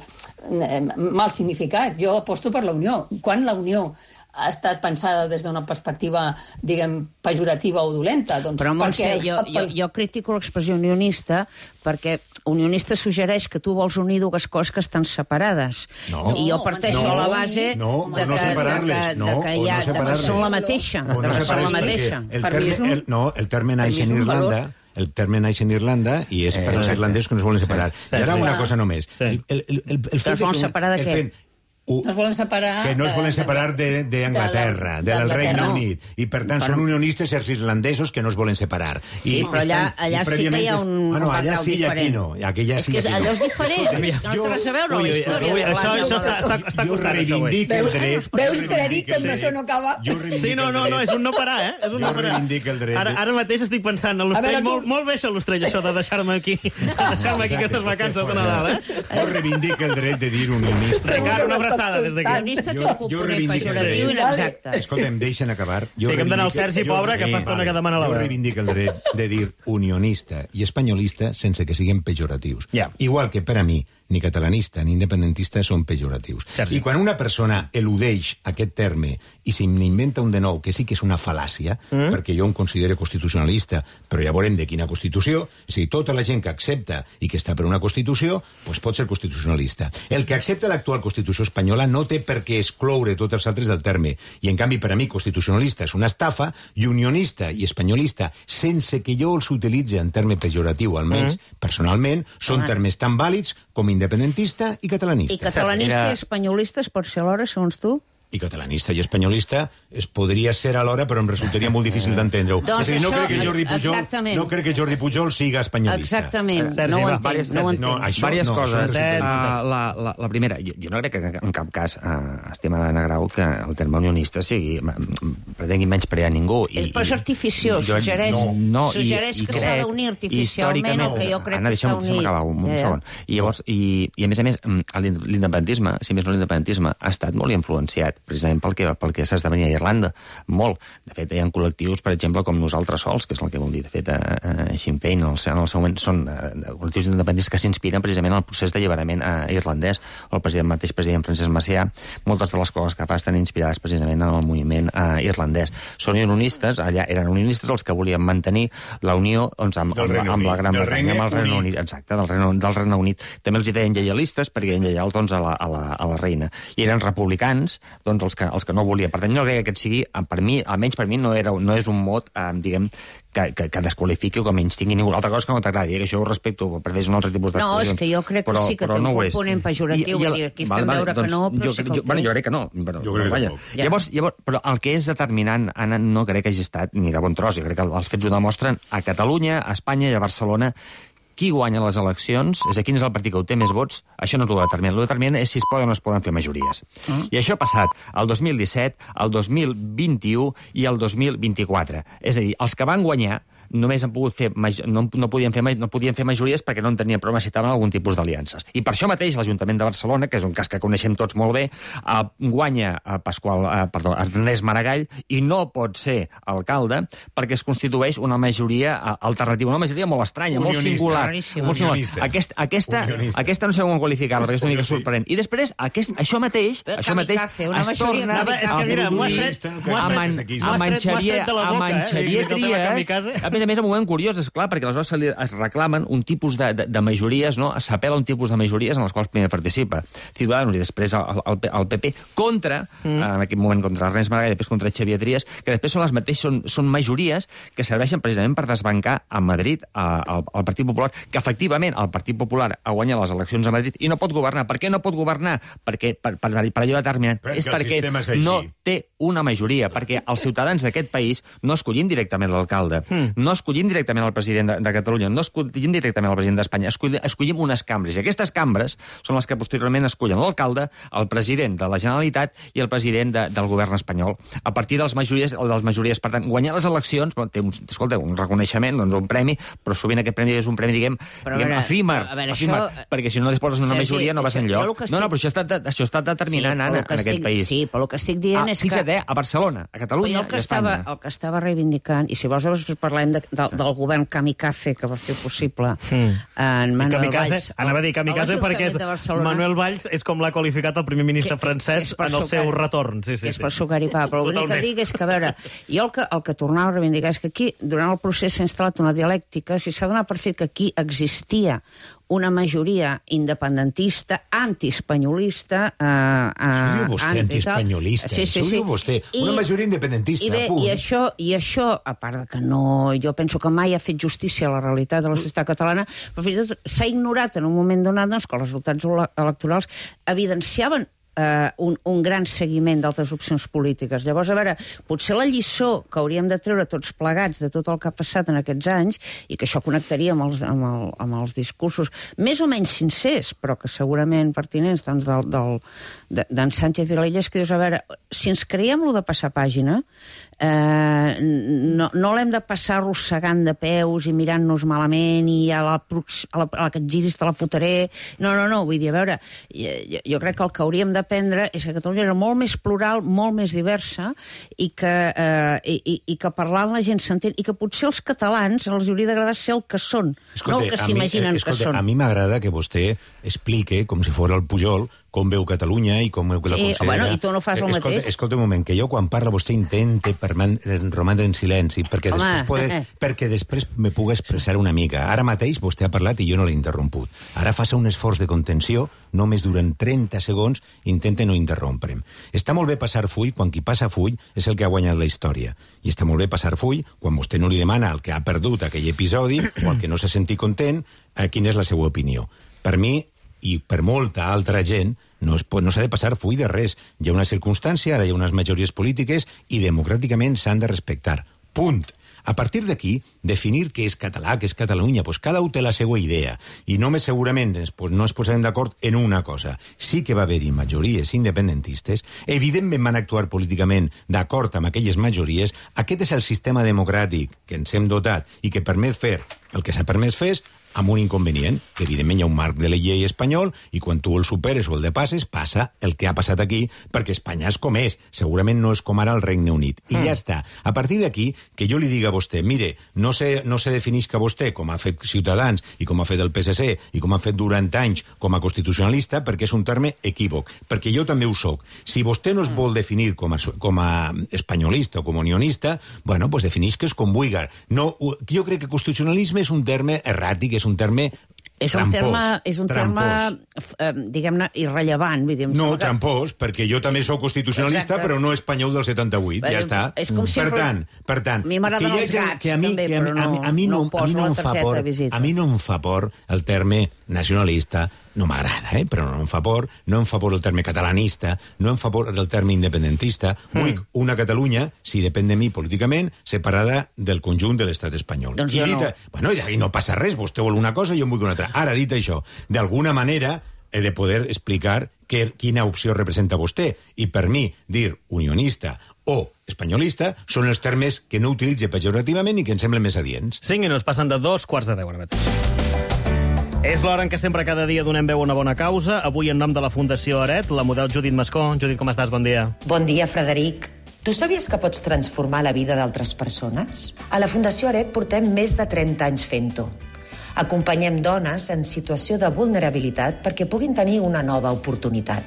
eh, mal significat, jo aposto per la unió. Quan la unió ha estat pensada des d'una perspectiva, diguem, pejorativa o dolenta? Doncs Però, Montse, jo, jo, jo critico l'expressió unionista perquè unionista suggereix que tu vols unir dues coses que estan separades. No. I jo parteixo No. a la base No, de o no que, separar-les, de que, no, de que, o hi ha, no de que separar-les. són la mateixa. O no de que són separar-les la perquè mateixa. El Per mi terme, és un- el, no, el terme naix mi és en un Irlanda... valor. El terme naix en Irlanda i és per als irlandesos que no es volen separar. Sí, I ara sí. una cosa només. Sí. El, el, el, el, el Que es volen separar de el què? fet- u- No es volen separar... que no es volen separar de- d'Anglaterra, de, del Regne d'Anglaterra. Unit. I, per tant, són unionistes els irlandesos que no es volen separar. I Sí, però allà- estan- allà i sí que hi ha prèviament- un- Bueno, un allà background sí i aquí diferent. no. Aquí ja És sí que i aquí allò no. és diferent, Escolta, és que no té jo- res a veure Ui, la ui, història. ui, de això- l'Anna. això està- està- està jo costant, això, reivindic avui. el Veus, dret... veus jo Frederic, que amb reivindic això no acaba? Jo reivindic Sí, no, el no, dret. no, és un no parar, eh? És un no Jo parar. reivindic el dret. Ara, ara mateix estic pensant en A l'Ostrell. veure, tu- Molt, molt bé això, l'Ostrell, això de deixar-me aquí, de deixar-me aquí aquestes vacances de Nadal, eh? Jo reivindic el dret de dir unionista. Encara una abraçada des d'aquí. Unionista té Jo- un jo component reivindico el pejoratiu dret. inexacte. Escolta, em deixen acabar. Jo Sí, que hem d'anar al reivindico- Sergi, jo- pobre, que fa estona que demana la Jo veu. reivindic el dret de dir unionista i espanyolista sense que siguin pejoratius. Ja. Igual que per a mi, ni catalanista ni independentista són pejoratius. Sergi. I quan una persona eludeix aquest terme i se n'inventa un de nou, que sí que és una fal·làcia, mm. perquè jo em considero constitucionalista, però ja veurem de quina Constitució, és a dir, tota la gent que accepta i que està per una Constitució, doncs pot ser constitucionalista. El que accepta l'actual Constitució espanyola no té per què excloure tots els altres del terme. I, en canvi, per a mi, constitucionalista és una estafa, i unionista i espanyolista, sense que jo els utilitzi en terme pejoratiu, almenys mm. personalment, són Home. termes tan vàlids com independentista i catalanista. I catalanista Era- i espanyolista es pot ser alhora, segons tu? I catalanista i espanyolista es podria ser alhora, però em resultaria molt difícil d'entendre-ho. Doncs és a dir, no això- crec que Jordi Pujol, exactament. no crec que Jordi Pujol siga espanyolista. Exactament. Sergi, no ho va, entenc, vàries- no ho Sergi, entenc. no, això- Vàries no, coses. això és- Uh, la, la, la primera, jo, jo no crec que en cap cas, uh, estima d'Anna Grau, que el terme unionista sigui, pretengui menys prear ningú. I, Però és artificiós, jo- suggereix, no, no, suggereix i, i que s'ha crec, d'unir artificialment històricament- el que jo crec Anna, que s'ha deixa'm- deixa'm unit. acabar un, un Ja, ja. segon. I llavors, i, i a més a més, l'independentisme, si més no l'independentisme, ha estat molt influenciat precisament pel que, pel que s'esdevenia a Irlanda. Molt. De fet, hi ha col·lectius, per exemple, com Nosaltres Sols, que és el que vol dir, de fet, a Sinn Féin, en el seu, en el seu moment, són uh, col·lectius independents que s'inspiren precisament en el procés d'alliberament uh, irlandès, o el president, mateix president Francesc Macià, moltes de les coses que fa estan inspirades precisament en el moviment uh, irlandès. Són unionistes, allà eren unionistes els que volien mantenir la unió doncs, amb, amb, amb, amb la Gran Bretanya, amb el Regne Unit. Exacte, del Regne, del Regne Unit. També els hi deien lleialistes perquè eren lleials doncs, a, la, a, la, a la reina. I eren republicans doncs, els, que, els que no volien. Per tant, no crec que aquest sigui, per mi, almenys per mi, no, era, no és un mot, eh, diguem, que, que, que desqualifiqui o que menys tingui ningú. Altra cosa que no t'agradi, que això ho respecto, per fer un altre tipus d'expressions. No, és que jo crec però, que sí que té un no component pejoratiu, I, i, i aquí fem vale, veure doncs, que no, però jo, sí que jo, bueno, jo crec que no. Però, jo crec vaja. que no. Llavors, llavors, però el que és determinant, Anna, no crec que hagi estat ni de bon tros. Jo crec que els fets ho demostren a Catalunya, a Espanya i a Barcelona. Qui guanya les eleccions, és a quin és el partit que ho té més vots, això no és el determinant. El determinant és si es poden o no es poden fer majories. Mm. I això ha passat el dos mil disset, el dos mil vint-i-u i el dos mil vint-i-quatre. És a dir, els que van guanyar només han pogut fer, no, no, podien fer, no podien fer majories perquè no en tenien prou, necessitaven algun tipus d'aliances. I per això mateix l'Ajuntament de Barcelona, que és un cas que coneixem tots molt bé, eh, guanya a Pasqual, eh, perdó, Ernest Maragall i no pot ser alcalde perquè es constitueix una majoria alternativa, una majoria molt estranya, unionista, molt singular. Molt singular. Aquest, aquesta, aquesta no sé com qualificar-la, perquè és una mica sorprenent. I després, aquest, això mateix, Però això mateix es torna a en Xavier Trias. A més a més, un moment curiós, és clar, perquè aleshores se li es reclamen un tipus de, de, de majories, no? S'apel·la un tipus de majories en les quals primer participa Ciudadanos i després el, el, el P P contra, mm. en aquell moment contra Ernest Maragall i després contra Xavier Trias, que després són les mateixes, són, són majories que serveixen precisament per desbancar a Madrid al Partit Popular, que efectivament el Partit Popular ha guanyat les eleccions a Madrid i no pot governar. Per què no pot governar? Perquè, per, per, per allò determinant. Perquè és perquè és no té una majoria, perquè els ciutadans d'aquest país no escollim directament l'alcalde, mm. no escollim directament el president de, de Catalunya, no escollim directament el president d'Espanya, escollim, escollim unes cambres. I aquestes cambres són les que posteriorment escollen l'alcalde, el president de la Generalitat i el president de, del govern espanyol. A partir de les majories, o de les majories, per tant, guanyar les eleccions, bueno, té un, escolta, un reconeixement, doncs un premi, però sovint aquest premi és un premi, diguem, però diguem veure, efímer, veure, efímer això, perquè si no disposes d'una majoria no vas enlloc. Estic... No, no, però això està, això està determinant, sí, Anna, en estic, aquest país. Sí, però el que estic dient ah, és fixa't, que... Eh, a Barcelona, a Catalunya el que i a Espanya. Estava, el que estava reivindicant, i si vols després parlem de, de, del govern kamikaze que va fer possible mm. en Manuel kamikaze, Valls. Anava a dir kamikaze perquè és, Manuel Valls és com l'ha qualificat el primer ministre que, francès que, que en el seu retorn. Sí, sí, és sí. per sucaripar, però l'únic que dic és que, a veure, jo el que, el que tornava a reivindicar és que aquí, durant el procés s'ha instal·lat una dialèctica, si s'ha donat per fet que aquí existia una majoria independentista, antiespanyolista... Eh, eh, Això ho diu vostè, antiespanyolista. Sí, sí, Això ho sí. diu vostè. Una I, majoria independentista, i bé, punt. I això, I això, a part de que no... Jo penso que mai ha fet justícia a la realitat de la societat catalana, però fins i tot s'ha ignorat en un moment donat doncs, que els resultats electorals evidenciaven Uh, un, un gran seguiment d'altres opcions polítiques. Llavors, a veure, potser la lliçó que hauríem de treure tots plegats de tot el que ha passat en aquests anys, i que això connectaria amb els, amb el, amb els discursos més o menys sincers, però que segurament pertinents, doncs, del, del, d'en Sánchez i l'Illa, és que dius, a veure, si ens creiem lo de passar pàgina, eh, no, no l'hem de passar arrossegant de peus i mirant-nos malament i a la, a la, a la que et giris te la fotré. No, no, no, vull dir, a veure, jo, jo crec que el que hauríem d'aprendre és que Catalunya era molt més plural, molt més diversa, i que, eh, i, i que parlant la gent s'entén, i que potser els catalans els hauria d'agradar ser el que són, escolta, no el que s'imaginen que són. A mi m'agrada que vostè explique, com si fos el Pujol, com veu Catalunya i com veu que la sí, considera... Bueno, i tu no fas el escolta, mateix. Escolta un moment, que jo quan parla vostè intente romandre en silenci, perquè Home. després, poder, perquè després me pugui expressar una mica. Ara mateix vostè ha parlat i jo no l'he interromput. Ara faça un esforç de contenció, només durant trenta segons, intente no interrompre'm. Està molt bé passar full quan qui passa full és el que ha guanyat la història. I està molt bé passar full quan vostè no li demana al que ha perdut aquell episodi o al que no se senti content a quina és la seva opinió. Per mi, i per molta altra gent, no, es pot, no s'ha de passar full de res. Hi ha una circumstància, ara hi ha unes majories polítiques i democràticament s'han de respectar. Punt. A partir d'aquí, definir què és català, què és Catalunya, doncs cada un té la seva idea. I només segurament pues, no es posarem d'acord en una cosa. Sí que va haver-hi majories independentistes, evidentment van actuar políticament d'acord amb aquelles majories. Aquest és el sistema democràtic que ens hem dotat i que permet fer el que s'ha permès fer amb un inconvenient, que evidentment hi ha un marc de la llei espanyol, i quan tu el superes o el depasses, passa el que ha passat aquí, perquè Espanya és com és. Segurament no és com ara el Regne Unit. I mm. ja està. A partir d'aquí, que jo li diga a vostè, mire, no se, no se definisca vostè, com ha fet Ciutadans i com ha fet el P S C i com ha fet durant anys com a constitucionalista, perquè és un terme equívoc. Perquè jo també ho soc. Si vostè no es vol definir com a, com a espanyolista o com a unionista, bueno, pues definisques com vulgui. No, jo crec que constitucionalisme és un terme erràtic, és un terme És un trampós, terme, és un terme eh, diguem-ne, irrellevant. Vull dir, no, que... trampós, perquè jo també sóc constitucionalista, exacte, però no espanyol del setanta-vuit, però, ja està. És com si per tant, per tant, a mi m'agraden els gats, que a mi, també, que a, però no, a, a mi no, no, a mi no em fa por, a mi no em fa por el terme nacionalista, no m'agrada, eh? però no em fa por, no em fa por el terme catalanista, no em fa por el terme independentista. Mm. Vull una Catalunya, si depèn de mi políticament, separada del conjunt de l'estat espanyol. Doncs I jo dit, no. Bueno, i no passa res, vostè vol una cosa i jo en vull una altra. Ara, dit això, d'alguna manera he de poder explicar que, quina opció representa vostè. I per mi, dir unionista o espanyolista són els termes que no utilitze pejorativament i que em semblen més adients. Cinc minuts, passen de dos quarts de deu ara mateix. És l'hora en què sempre cada dia donem veu a una bona causa. Avui, en nom de la Fundació Aret, la model Judit Mascó. Judit, com estàs? Bon dia. Bon dia, Frederic. Tu sabies que pots transformar la vida d'altres persones? A la Fundació Aret portem més de trenta anys fent-ho. Acompanyem dones en situació de vulnerabilitat perquè puguin tenir una nova oportunitat.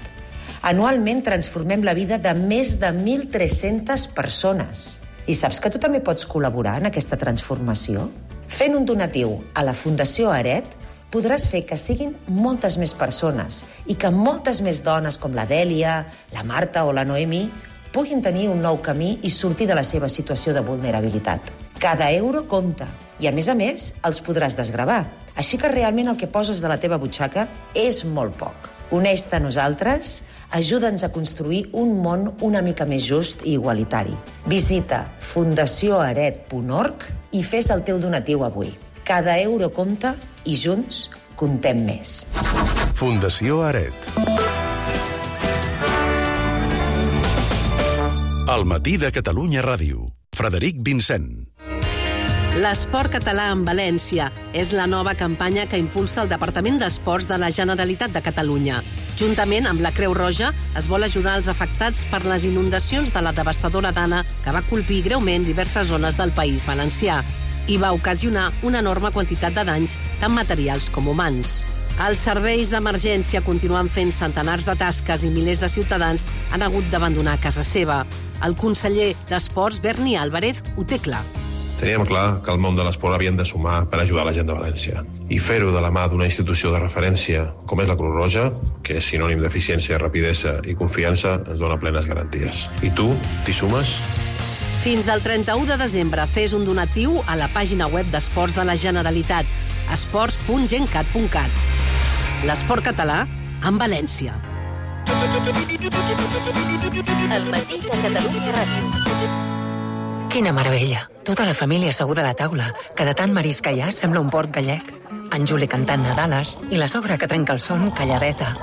Anualment transformem la vida de més de mil tres-centes persones. I saps que tu també pots col·laborar en aquesta transformació? Fent un donatiu a la Fundació Aret podràs fer que siguin moltes més persones i que moltes més dones com la Dèlia, la Marta o la Noemi puguin tenir un nou camí i sortir de la seva situació de vulnerabilitat. Cada euro compta i, a més a més, els podràs desgravar. Així que realment el que poses de la teva butxaca és molt poc. Uneix-te a nosaltres, ajuda'ns a construir un món una mica més just i igualitari. Visita fundació aret punt org i fes el teu donatiu avui. Cada euro compta i junts comptem més. Fundació Aret. El matí de Catalunya Ràdio. Frederic Vincent. L'esport català en València és la nova campanya que impulsa el Departament d'Esports de la Generalitat de Catalunya. Juntament amb la Creu Roja es vol ajudar els afectats per les inundacions de la devastadora Dana que va colpir greument diverses zones del País Valencià i va ocasionar una enorme quantitat de danys, tant materials com humans. Els serveis d'emergència continuen fent centenars de tasques i milers de ciutadans han hagut d'abandonar casa seva. El conseller d'Esports, Berni Álvarez, ho té clar. Teníem clar que el món de l'esport havien de sumar per ajudar la gent de València. I fer-ho de la mà d'una institució de referència com és la Creu Roja, que és sinònim d'eficiència, rapidesa i confiança, ens dona plenes garanties. I tu, t'hi sumes? Fins al trenta-u de desembre fes un donatiu a la pàgina web d'Esports de la Generalitat, esports punt gencat punt cat. L'esport català en València. El matí de Catalunya Ràdio. Quina meravella. Tota la família asseguda a la taula, que de tant marisc que hi ha sembla un port gallec. En Juli cantant Nadales i la sogra que trenca el son calladeta.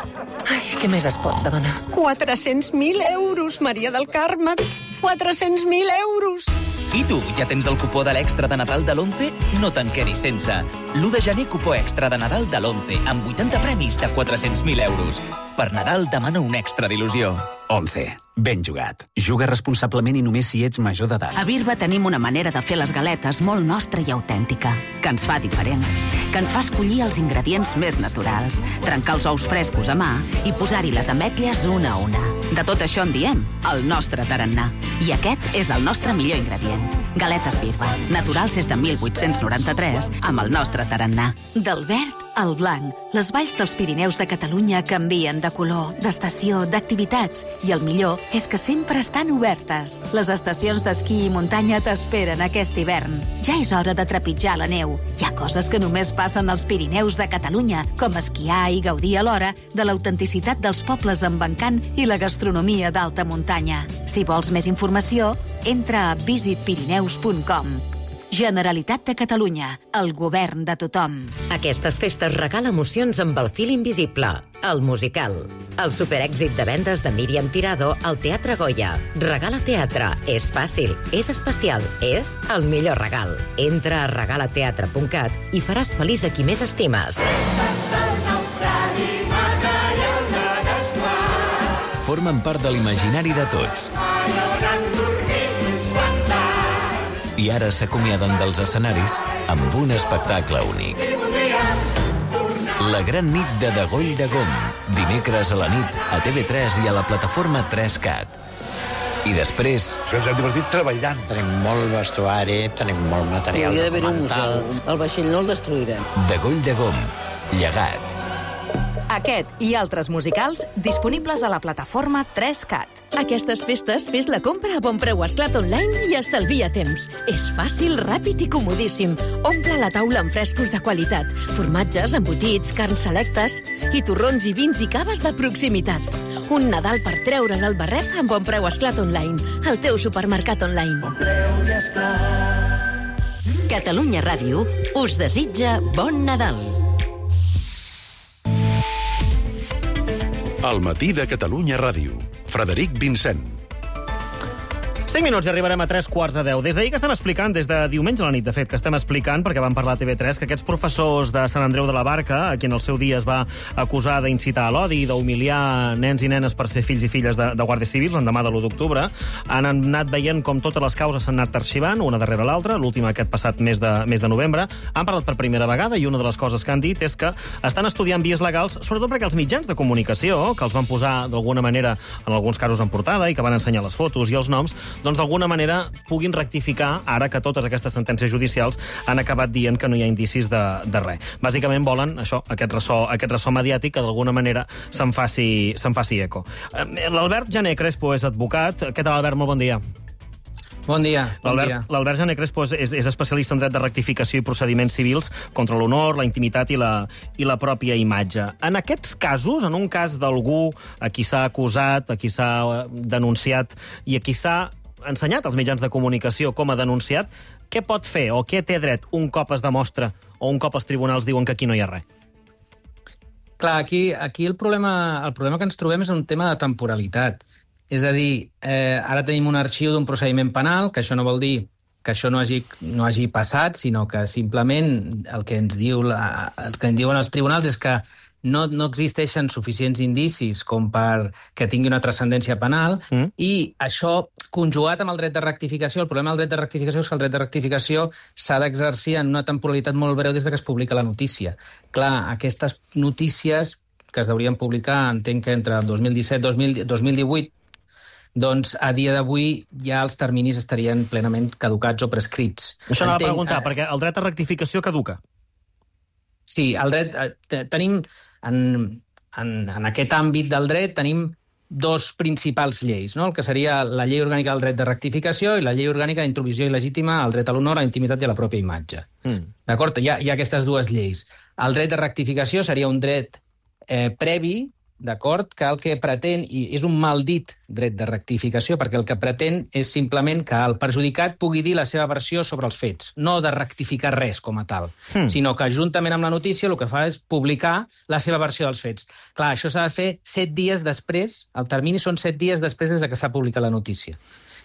Ai, què més es pot demanar? quatre-cents mil euros, Maria del Carme. quatre-cents mil euros. I tu, ja tens el cupó de l'extra de Nadal de l'Once? No te'n quedis sense. l'u de gener, cupó extra de Nadal de l'Once, amb vuitanta premis de quatre-cents mil euros. Per Nadal demana un extra d'il·lusió. Once. Ben jugat. Juga responsablement i només si ets major d'edat. A Birba tenim una manera de fer les galetes molt nostra i autèntica, que ens fa diferents, que ens fa escollir els ingredients més naturals, trencar els ous frescos a mà i posar-hi les ametlles una a una. De tot això en diem el nostre tarannà. I aquest és el nostre millor ingredient. Galetes Birba, naturals des de mil vuit-cents noranta-tres, amb el nostre tarannà. Del verd al blanc, les valls dels Pirineus de Catalunya canvien de color, d'estació, d'activitats, i el millor és que sempre estan obertes. Les estacions d'esquí i muntanya t'esperen aquest hivern. Ja és hora de trepitjar la neu. Hi ha coses que només passen als Pirineus de Catalunya, com esquiar i gaudir alhora de l'autenticitat dels pobles amb encant i la gastronomia d'alta muntanya. Si vols més informació, entra a visit pirineus punt com. Generalitat de Catalunya, el govern de tothom. Aquestes festes regala emocions amb El fil invisible, el musical. El superèxit de vendes de Míriam Tirado al Teatre Goya. Regala teatre. És fàcil, és especial, és el millor regal. Entra a regalateatre punt cat i faràs feliç a qui més estimes. Formen part de l'imaginari de tots. I ara s'acomiaden dels escenaris amb un espectacle únic. La gran nit de Degoll de Gom, dimecres a la nit a T V tres i a la plataforma tres cat. I després... Ens hem divertit treballant. Tenim molt vestuari, tenim molt material Hi hauria d'haver un documental. museu. El vaixell no el destruirem. Degoll de Gom, llegat. Aquest i altres musicals disponibles a la plataforma tres cat. Aquestes festes fes la compra a bon preu Esclat Online i estalvia temps. És fàcil, ràpid i comodíssim. Omple la taula amb frescos de qualitat, formatges, embotits, carns selectes i torrons i vins i caves de proximitat. Un Nadal per treure's el barret amb bon preu Esclat Online, el teu supermercat online. Bon preu i Esclat. Catalunya Ràdio us desitja bon Nadal. El matí de Catalunya Ràdio. Frederic Vincent. cinc minuts i arribarem a tres quarts de deu. Des d'ahir que estem explicant, des de diumenge a la nit, de fet, que estem explicant, perquè vam parlar a T V tres, que aquests professors de Sant Andreu de la Barca, a qui en el seu dia es va acusar d'incitar a l'odi, d'humiliar nens i nenes per ser fills i filles de, de guàrdies civils l'endemà de l'u d'octubre, han anat veient com totes les causes s'han anat arxivant, una darrere l'altra, l'última aquest passat mes de, mes de novembre. Han parlat per primera vegada i una de les coses que han dit és que estan estudiant vies legals, sobretot perquè els mitjans de comunicació, que els van posar d'alguna manera, en alguns casos en portada, i que van ensenyar les fotos i els noms, doncs d'alguna manera puguin rectificar ara que totes aquestes sentències judicials han acabat dient que no hi ha indicis de, de res. Bàsicament volen això, aquest ressò, aquest ressò mediàtic que d'alguna manera se'n faci, se'n faci eco. L'Albert Jané Crespo és advocat. Què tal, Albert? Molt bon dia. Bon dia. Bon dia. L'Albert Jané Crespo és, és especialista en dret de rectificació i procediments civils contra l'honor, la intimitat i la, i la pròpia imatge. En aquests casos, en un cas d'algú a qui s'ha acusat, a qui s'ha denunciat i a qui s'ha ensenyat als mitjans de comunicació com a denunciat, què pot fer o què té dret un cop es demostra o un cop els tribunals diuen que aquí no hi ha res? Clar, aquí, aquí el, problema, el problema que ens trobem és un tema de temporalitat. És a dir, eh, ara tenim un arxiu d'un procediment penal, que això no vol dir que això no hagi, no hagi passat, sinó que simplement el que ens diu la, el que ens diuen els tribunals és que no, no existeixen suficients indicis com per que tingui una transcendència penal, mm. i això, conjugat amb el dret de rectificació, el problema del dret de rectificació és que el dret de rectificació s'ha d'exercir en una temporalitat molt breu des que es publica la notícia. Clar, aquestes notícies que es deurien publicar, entenc que entre el dos mil disset i dos mil divuit, doncs a dia d'avui ja els terminis estarien plenament caducats o prescrits. Això anava a preguntar, eh... perquè el dret de rectificació caduca. Sí, el dret... Eh, tenim... En, en, en aquest àmbit del dret tenim dos principals lleis, no? El que seria la llei orgànica del dret de rectificació i la llei orgànica d'intromissió il·legítima al dret a l'honor, a la intimitat i a la pròpia imatge. Mm. D'acord? Hi ha, hi ha aquestes dues lleis. El dret de rectificació seria un dret eh, previ, d'acord, que el que pretén, i és un mal dit dret de rectificació, perquè el que pretén és simplement que el perjudicat pugui dir la seva versió sobre els fets, no de rectificar res com a tal, mm. sinó que juntament amb la notícia el que fa és publicar la seva versió dels fets. Clar, això s'ha de fer set dies després, el termini són set dies després des que s'ha publicat la notícia.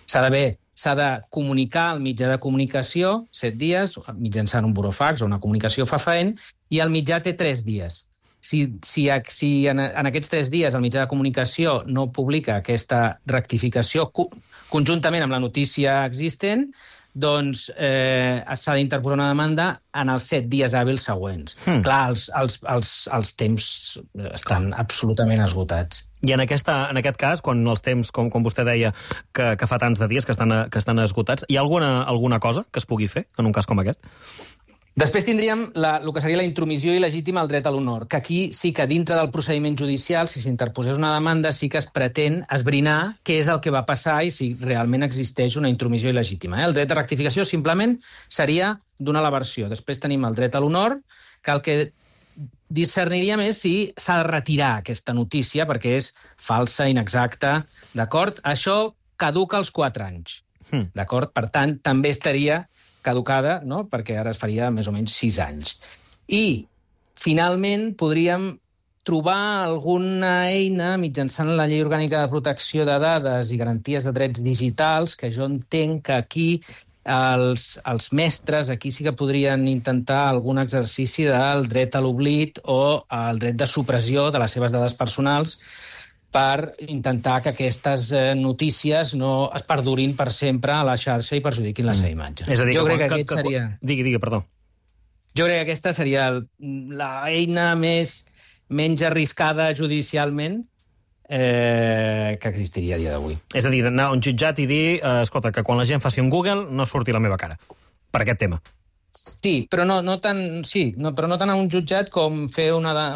S'ha d'haver, s'ha de comunicar al mitjà de comunicació set dies, mitjançant un burofax o una comunicació fefaent, i el mitjà té tres dies. Si, si, si en, en aquests tres dies el mitjà de comunicació no publica aquesta rectificació co conjuntament amb la notícia existent, doncs eh, s'ha d'interposar una demanda en els set dies hàbils següents. Hmm. Clar, els, els, els, els temps estan absolutament esgotats. I en, aquesta, en aquest cas, quan els temps, com, com vostè deia, que, que fa tants de dies que estan, que estan esgotats, hi ha alguna, alguna cosa que es pugui fer en un cas com aquest? Després tindríem la, el que seria la intromissió il·legítima al dret a l'honor, que aquí sí que dintre del procediment judicial, si s'interposés una demanda, sí que es pretén esbrinar què és el que va passar i si realment existeix una intromissió il·legítima. Eh? El dret de rectificació simplement seria donar la versió. Després tenim el dret a l'honor, que el que discerniríem és si s'ha de retirar aquesta notícia perquè és falsa, inexacta, d'acord? Això caduca als quatre anys, hmm. d'acord? Per tant, també estaria caducada, no? Perquè ara es faria més o menys sis anys. I, finalment, podríem trobar alguna eina mitjançant la Llei Orgànica de Protecció de Dades i Garanties de Drets Digitals, que jo entenc que aquí els, els mestres aquí sí que podrien intentar algun exercici del dret a l'oblit o el dret de supressió de les seves dades personals per intentar que aquestes notícies no es perdurin per sempre a la xarxa i perjudiquin la seva imatge. És a dir, jo que, crec que, que, aquest que, seria... Digui, digui, perdó. Jo crec que aquesta seria l'eina més menys arriscada judicialment eh, que existiria a dia d'avui. És a dir, anar a un jutjat i dir eh, escolta, que quan la gent faci un Google no surti la meva cara, per aquest tema. Sí, però no, no tant, sí, no, però no tant a un jutjat com fer una de,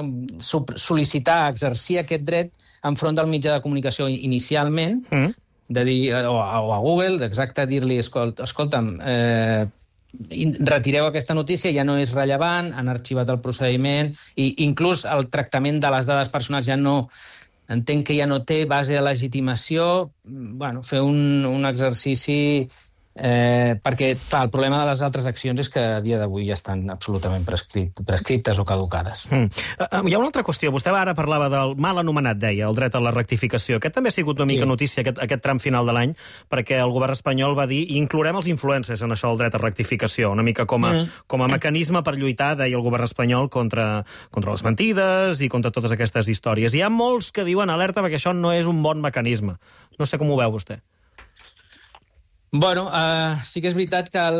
sol·licitar, exercir aquest dret enfront del mitjà de comunicació inicialment, mm. de dir, o, o a Google, exacte, dir-li, escolt, escolta'm, eh, retireu aquesta notícia, ja no és rellevant, han arxivat el procediment, i inclús el tractament de les dades personals ja no, entenc que ja no té base de legitimació, bueno, fer un, un exercici... Eh, perquè, clar, el problema de les altres accions és que a dia d'avui ja estan absolutament prescrit, prescrites o caducades. Mm. Uh, hi ha una altra qüestió. Vostè ara parlava del mal anomenat, deia, el dret a la rectificació. Aquest també ha sigut una mica sí. notícia, aquest, aquest tram final de l'any, perquè el govern espanyol va dir i inclourem els influencers en això del dret a rectificació, una mica com a, mm. com a mecanisme per lluitar, deia el govern espanyol, contra, contra les mentides i contra totes aquestes històries. Hi ha molts que diuen alerta perquè això no és un bon mecanisme. No sé com ho veu vostè. Bueno, uh, sí que és veritat que el,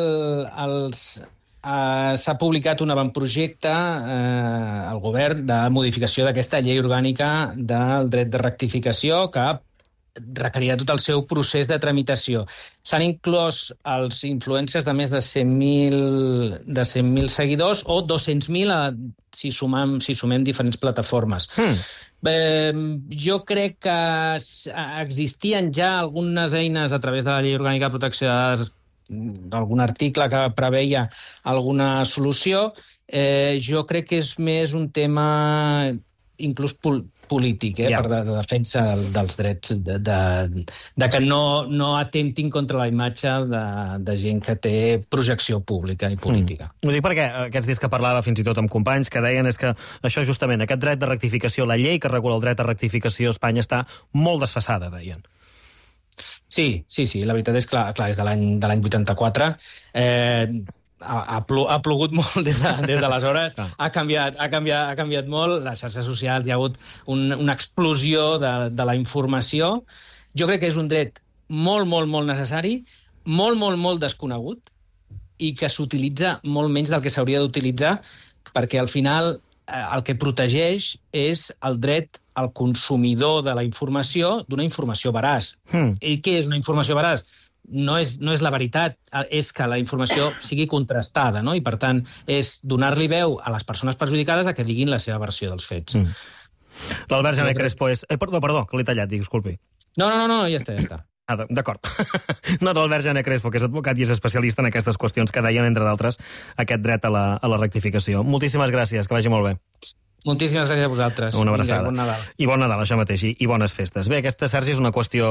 els, uh, s'ha publicat un avantprojecte uh, al govern de modificació d'aquesta llei orgànica del dret de rectificació que requerirà tot el seu procés de tramitació. S'han inclòs els influencers de més de cent mil seguidors o dos-cents mil si, sumam, si sumem diferents plataformes. Hmm. Eh, jo crec que existien ja algunes eines a través de la Llei Orgànica de Protecció de Dades, d'algun article que preveia alguna solució. Eh, jo crec que és més un tema inclús pol polític, eh, yeah. per de, de defensa dels drets, de, de, de que no, no atemptin contra la imatge de, de gent que té projecció pública i política. Mm. Ho dic perquè aquests dies que parlava fins i tot amb companys que deien és que això justament, aquest dret de rectificació, la llei que regula el dret de rectificació a Espanya està molt desfasada, deien. Sí, sí, sí, la veritat és que clar, clar, és de l'any de l'any vuitanta-quatre. Eh, Ha, ha, plu, ha plogut molt des de, des d'aleshores, ha, canviat, ha, canviat, ha canviat molt, les xarxes socials, hi ha hagut un, una explosió de, de la informació. Jo crec que és un dret molt, molt, molt necessari, molt, molt, molt desconegut i que s'utilitza molt menys del que s'hauria d'utilitzar perquè al final eh, el que protegeix és el dret al consumidor de la informació d'una informació veraç. Hmm. I què és una informació veraç? No és, no és la veritat, és que la informació sigui contrastada, no? I, per tant, és donar-li veu a les persones perjudicades a que diguin la seva versió dels fets. Mm. L'Albert Jané Crespo és... Eh, perdó, perdó, que l'he tallat, disculpi. No, no, no, ja està, ja està. Ah, d'acord. No, l'Albert Jané Crespo, que és advocat i és especialista en aquestes qüestions que deien, entre d'altres, aquest dret a la, a la rectificació. Moltíssimes gràcies, que vagi molt bé. Moltíssimes gràcies a vosaltres. Una abraçada. Bon Nadal. I bon Nadal, això mateix, i bones festes. Bé, aquesta, Sergi, és una qüestió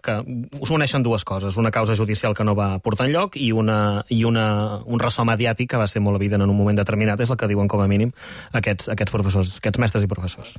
que us uneixen dues coses. Una causa judicial que no va portar enlloc i, una, i una, un ressò mediàtic que va ser molt evident en un moment determinat. És el que diuen, com a mínim, aquests, aquests professors, aquests mestres i professors.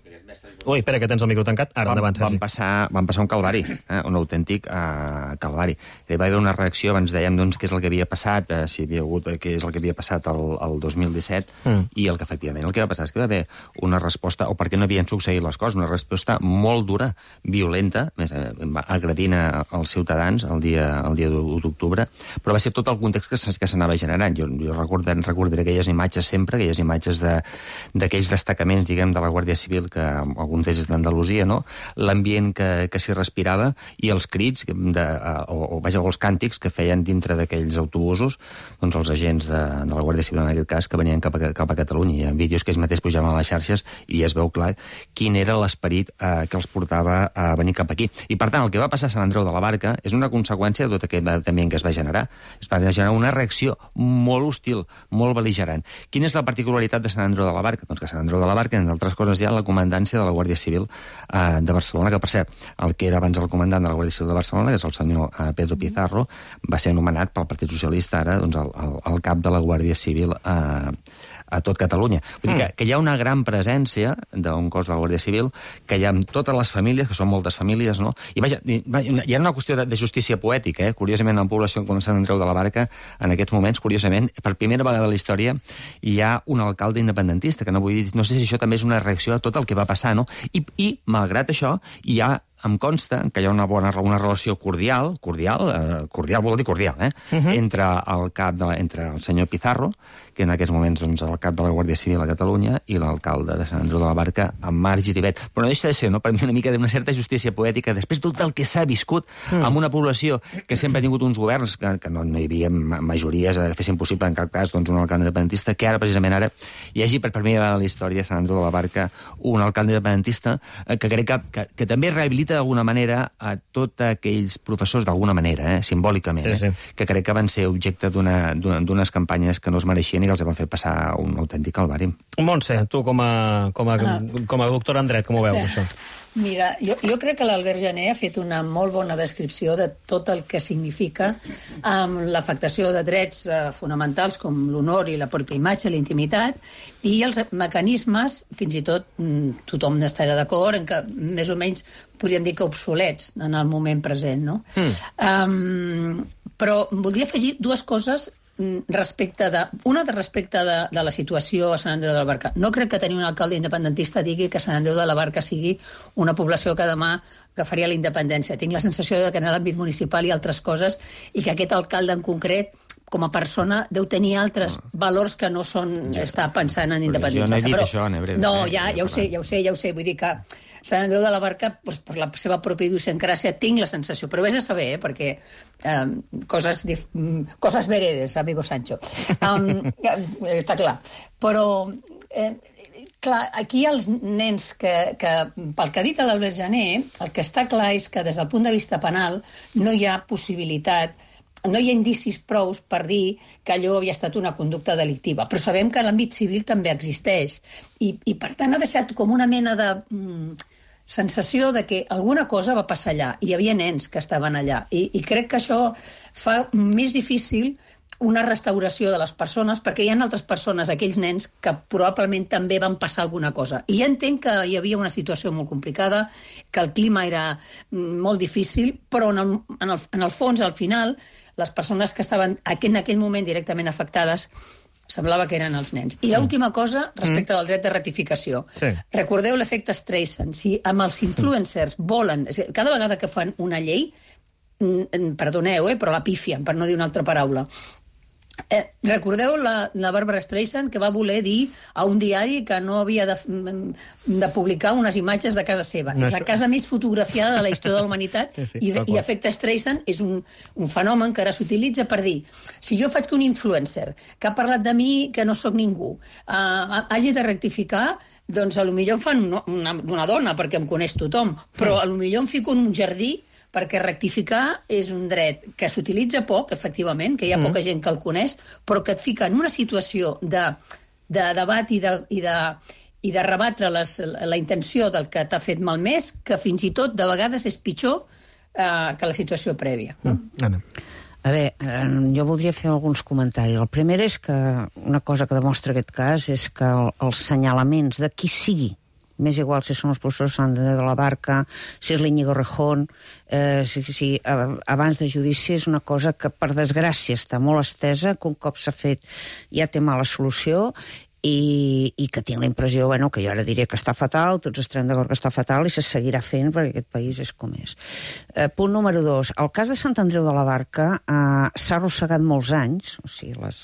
Ui, espera, que tens el micro tancat. Ara, endavant, Sergi. Van passar, van passar un calvari, eh? un autèntic eh, calvari. Hi va haver una reacció, abans dèiem doncs, què és el que havia passat, eh, si hi havia hagut què és el que havia passat el, el dos mil disset, mm. i el que efectivament el que va passar és que va haver una resposta, o perquè no havien succeït les coses, una resposta molt dura, violenta, més, eh, agredint als ciutadans el dia, el dia u d'octubre, però va ser tot el context que, que s'anava generant. Jo, jo recordaré, recordaré aquelles imatges sempre, aquelles imatges d'aquells de, destacaments, diguem, de la Guàrdia Civil, que alguns d'ells d'Andalusia, no? L'ambient que, que s'hi respirava i els crits, de, o, o, vaja, els càntics que feien dintre d'aquells autobusos, doncs els agents de, de la Guàrdia Civil, en aquest cas, que venien cap a, cap a Catalunya. Hi ha vídeos que ells mateix pujaven a les xarxes i es veu clar quin era l'esperit eh, que els portava a venir cap aquí. I, per tant, el que va passar a Sant Andreu de la Barca és una conseqüència de tot aquest també que es va generar. Es va generar una reacció molt hostil, molt bel·ligerant. Quina és la particularitat de Sant Andreu de la Barca? Doncs que Sant Andreu de la Barca, entre altres coses, hi ha la comandància de la Guàrdia Civil eh, de Barcelona, que per cert, el que era abans el comandant de la Guàrdia Civil de Barcelona, que és el senyor eh, Pedro Pizarro, va ser anomenat pel Partit Socialista ara doncs, el, el, el cap de la Guàrdia Civil eh, a tot Catalunya. Vull dir que, que hi ha una gran presència d'un cos de la Guàrdia Civil, que hi ha amb totes les famílies, que són moltes famílies, no? I vaja, hi ha una qüestió de, de justícia poètica, eh? Curiosament, en la població com Sant Andreu de la Barca, en aquests moments, curiosament, per primera vegada a la història, hi ha un alcalde independentista, que no vull dir, no sé si això també és una reacció a tot el que va passar, no? I, i malgrat això, hi ha em consta que hi ha una bona una relació cordial, cordial, eh, cordial vol dir cordial, eh? Uh-huh. entre el cap de la, entre el senyor Pizarro, que en aquests moments doncs, el cap de la Guàrdia Civil a Catalunya, i l'alcalde de Sant Andreu de la Barca, en Marc Giribet. Però no deixa de ser, no, per mi, una mica d'una certa justícia poètica, després tot el que s'ha viscut mm. amb una població que sempre ha tingut uns governs que, que no, no hi havia majories que fessin possible en cap cas doncs, un alcalde independentista, que ara, precisament ara, hi hagi per primera vegada a la història a Sant Andreu de la Barca un alcalde independentista eh, que crec que, que, que també rehabilita d'alguna manera a tots aquells professors, d'alguna manera, eh, simbòlicament, sí, sí. Eh, que crec que van ser objecte d'unes campanyes que no es mereixien i que els van fer passar un autèntic calvari. Montse, tu com a, com a, ah. com a doctora en dret, com ho veus, això? Mira, jo, jo crec que l'Albert Jané ha fet una molt bona descripció de tot el que significa um, l'afectació de drets uh, fonamentals com l'honor i la pròpia imatge, la intimitat, i els mecanismes, fins i tot mm, tothom estarà d'acord, en què més o menys podríem dir que obsolets en el moment present, no? Mm. Um, però voldria afegir dues coses respecte de... Una de respecte de, de la situació a Sant Andreu de la Barca. No crec que tenir un alcalde independentista digui que Sant Andreu de la Barca sigui una població que demà agafaria la independència. Tinc la sensació de que en l'àmbit municipal hi ha altres coses i que aquest alcalde en concret com a persona deu tenir altres valors que no són ja, estar pensant en independència. Jo no he dit però, això, Nebre. No, ja, ja ho sé, ja ho sé, ja ho sé. Vull dir que Sant Andreu de la Barca, doncs, per la seva pròpia idiosincràsia, tinc la sensació. Però vés a saber, eh, perquè eh, coses, coses veredes, amigo Sancho. Um, està clar. Però... Eh, clar, aquí els nens que, que pel que ha dit l'Albert Jané, el que està clar és que des del punt de vista penal no hi ha possibilitat, no hi ha indicis prous per dir que allò havia estat una conducta delictiva, però sabem que l'àmbit civil també existeix i, i per tant ha deixat com una mena de mm, sensació de que alguna cosa va passar allà, hi havia nens que estaven allà i, i crec que això fa més difícil una restauració de les persones, perquè hi ha altres persones, aquells nens, que probablement també van passar alguna cosa. I ja entenc que hi havia una situació molt complicada, que el clima era molt difícil, però en el, en el, en el fons, al final, les persones que estaven en aquell moment directament afectades semblava que eren els nens. I l'última cosa, respecte mm. del dret de ratificació. Sí. Recordeu l'efecte Streisand. Si amb els influencers volen... Cada vegada que fan una llei, perdoneu, eh, però la pifien, per no dir una altra paraula. Eh, recordeu la, la Barbara Streisand que va voler dir a un diari que no havia de, de publicar unes imatges de casa seva. No, és la casa més fotografiada de la història de la humanitat sí, sí, i, i efecte Streisand és un, un fenomen que ara s'utilitza per dir si jo faig que un influencer que ha parlat de mi que no sóc ningú uh, hagi de rectificar, doncs a lo millor em fan una, una, una dona perquè em coneix tothom, però a lo millor em fico en un jardí perquè rectificar és un dret que s'utilitza poc, efectivament, que hi ha poca gent que el coneix, però que et fica en una situació de, de debat i de, i de, i de rebatre les, la intenció del que t'ha fet malmès, que fins i tot de vegades és pitjor eh, que la situació prèvia. No? Anna. A veure, jo voldria fer alguns comentaris. El primer és que una cosa que demostra aquest cas és que el, els senyalaments de qui sigui, m'és igual si són els professors Sant Andreu de la Barca, si és l'Iñigo Rejón, eh, si, si abans de judici és una cosa que, per desgràcia, està molt estesa, que un cop s'ha fet ja té mala solució, i, i que tinc la impressió, bueno, que jo ara diré que està fatal, tots estarem d'acord que està fatal i se seguirà fent perquè aquest país és com és. Eh, punt número dos. El cas de Sant Andreu de la Barca eh, s'ha arrossegat molts anys, o sigui, les,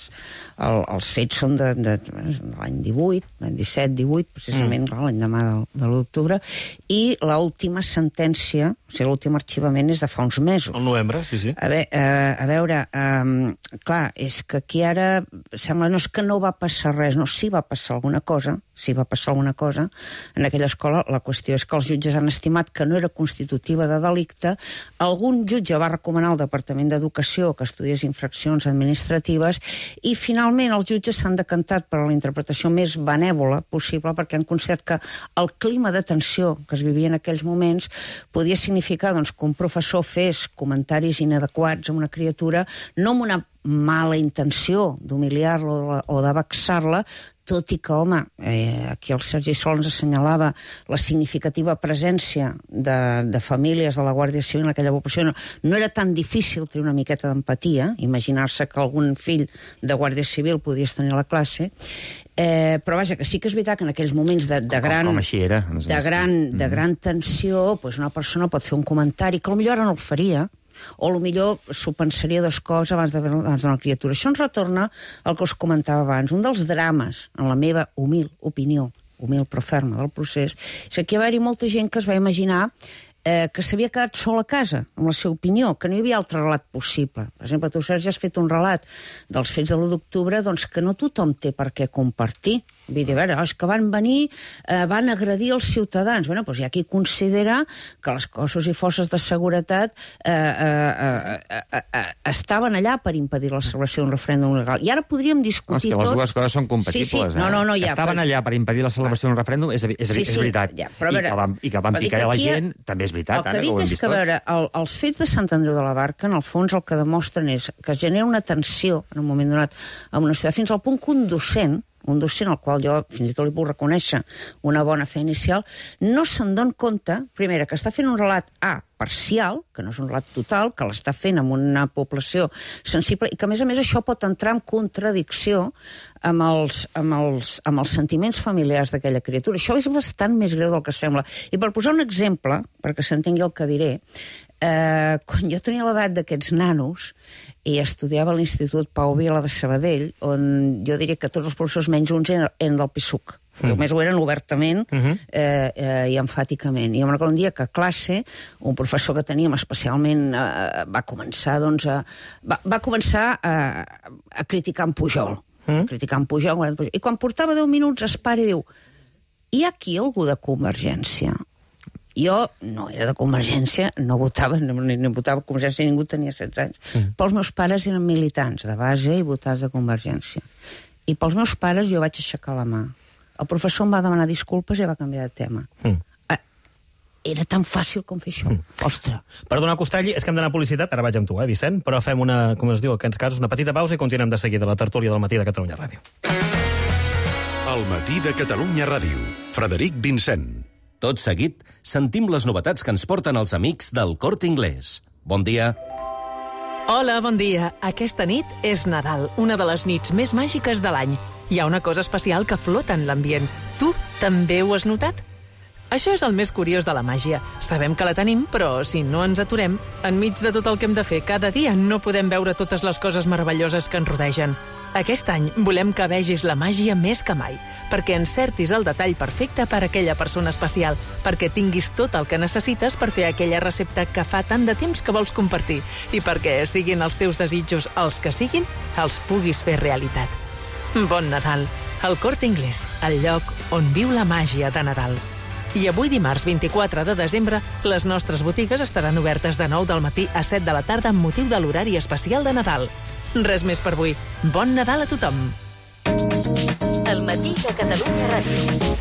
el, els fets són de, de, de l'any divuit, l'any disset, divuit, precisament mm. l'any demà de, de l'octubre, i l'última sentència O sigui, l'últim arxivament és de fa uns mesos. El novembre, sí, sí. A, ve, uh, a veure, um, clar, és que aquí ara sembla no és que no va passar res, no, sí va passar alguna cosa, sí va passar alguna cosa en aquella escola. La qüestió és que els jutges han estimat que no era constitutiva de delicte. Algun jutge va recomanar al Departament d'Educació que estudiés infraccions administratives i finalment els jutges s'han decantat per la interpretació més benèvola possible perquè han considerat que el clima de tensió que es vivia en aquells moments podia significar doncs, que un professor fes comentaris inadequats a una criatura, no amb una mala intenció d'humiliar-la o de vexar-la, tot i que, home, eh, aquí el Sergi Sol ens assenyalava la significativa presència de, de famílies de la Guàrdia Civil en aquella població. No, no era tan difícil tenir una miqueta d'empatia, imaginar-se que algun fill de Guàrdia Civil podies tenir a la classe, eh, però vaja, que sí que és veritat que en aquells moments de, de, gran, com, com així era, de, gran, de gran tensió, doncs una persona pot fer un comentari que potser ara no el faria, o potser s'ho pensaria dos cops abans d'una criatura. Això ens retorna al que us comentava abans. Un dels drames, en la meva humil opinió, humil però ferma del procés, és que hi va haver molta gent que es va imaginar eh, que s'havia quedat sol a casa, amb la seva opinió, que no hi havia altre relat possible. Per exemple, tu, Sergi, has fet un relat dels fets de l'u d'octubre doncs, que no tothom té per què compartir. Vull dir, a veure, és que van venir, eh, van agredir els ciutadans. Bé, doncs hi ha qui considera que els cossos i forces de seguretat eh, eh, eh, eh, eh, estaven allà per impedir la celebració d'un referèndum legal. I ara podríem discutir tots... Les dues coses són compatibles. Sí, sí. No, no, no, ja, estaven però... allà per impedir la celebració d'un referèndum, és, és, sí, és sí, veritat. Ja, però, veure, I, que van, I que van picar a la gent, ha... també és veritat. El que dic és que, a veure, el, els fets de Sant Andreu de la Barca, en el fons, el que demostren és que es genera una tensió, en un moment donat, en una ciutat, fins al punt que un docent, un docent al qual jo fins i tot li puc reconèixer una bona fe inicial, no se'n dona compte, primera, que està fent un relat A, parcial, que no és un relat total, que l'està fent amb una població sensible, i que, a més a més, això pot entrar en contradicció amb els, amb els, amb els sentiments familiars d'aquella criatura. Això és bastant més greu del que sembla. I per posar un exemple, perquè s'entengui el que diré, eh, quan jo tenia l'edat d'aquests nanos i estudiava a l'Institut Pau Vila de Sabadell, on jo diria que tots els professors menys uns eren, eren del P SUC. Mm. Només ho eren obertament uh -huh. eh, eh, i enfàticament. I em recordo un dia que a classe, un professor que teníem especialment eh, va començar, doncs, a, va, va començar a, a criticar en Pujol. Mm. Criticar en Pujol, en Pujol. I quan portava deu minuts es para i diu: hi ha aquí algú de Convergència? Jo no era de Convergència, no votava, ni, ni votava Convergència, ningú tenia setze anys. Mm. Però els meus pares eren militants de base i votats de Convergència. I pels meus pares jo vaig aixecar la mà. El professor em va demanar disculpes i va canviar de tema. Mm. Ah, era tan fàcil com fer això. Mm. Ostres. Perdona, Costelli, és que hem d'anar a publicitat, ara vaig amb tu, eh, Vicent? Però fem una, com es diu, en aquests casos, una petita pausa i continuem de seguida la tertúlia del matí de Catalunya Ràdio. El matí de Catalunya Ràdio. Frederic Vincent. Tot seguit, sentim les novetats que ens porten els amics del Corte Inglés. Bon dia. Hola, bon dia. Aquesta nit és Nadal, una de les nits més màgiques de l'any. Hi ha una cosa especial que flota en l'ambient. Tu també ho has notat? Això és el més curiós de la màgia. Sabem que la tenim, però si no ens aturem, enmig de tot el que hem de fer cada dia, no podem veure totes les coses meravelloses que ens rodegen. Aquest any volem que vegis la màgia més que mai, perquè encertis el detall perfecte per a aquella persona especial, perquè tinguis tot el que necessites per fer aquella recepta que fa tant de temps que vols compartir i perquè, siguin els teus desitjos els que siguin, els puguis fer realitat. Bon Nadal. El Corte Inglés, el lloc on viu la màgia de Nadal. I avui, dimarts vint-i-quatre de desembre, les nostres botigues estaran obertes de nou del matí a set de la tarda amb motiu de l'horari especial de Nadal. Res més per avui. Bon Nadal a tothom. El matí de Catalunya Ràdio.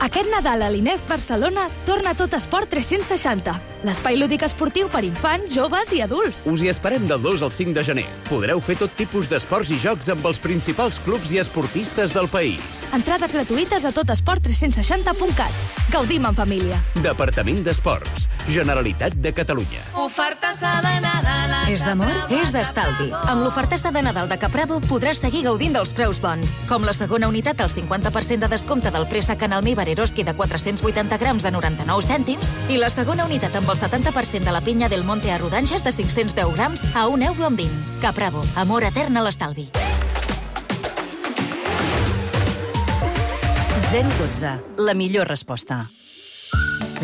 Aquest Nadal a l'INEF Barcelona torna Tot Esport tres-cents seixanta. L'espai lúdic esportiu per infants, joves i adults. Us hi esperem del dos al cinc de gener. Podreu fer tot tipus d'esports i jocs amb els principals clubs i esportistes del país. Entrades gratuïtes a totesport tres-cents seixanta punt cat. Gaudim en família. Departament d'Esports. Generalitat de Catalunya. Ofertassa de Nadal. És d'amor? És d'estalvi. Amb l'ofertassa de Nadal de Capravo podràs seguir gaudint dels preus bons, com la segona unitat al cinquanta per cent de descompte del préssec en almíbar Eroski de quatre-cents vuitanta grams a noranta-nou cèntims i la segona unitat amb el setanta per cent de la pinya del Monte a rodanxes de cinc-cents deu grams a un euro amb vint. Capravo, amor etern a l'estalvi. zero dotze, la millor resposta.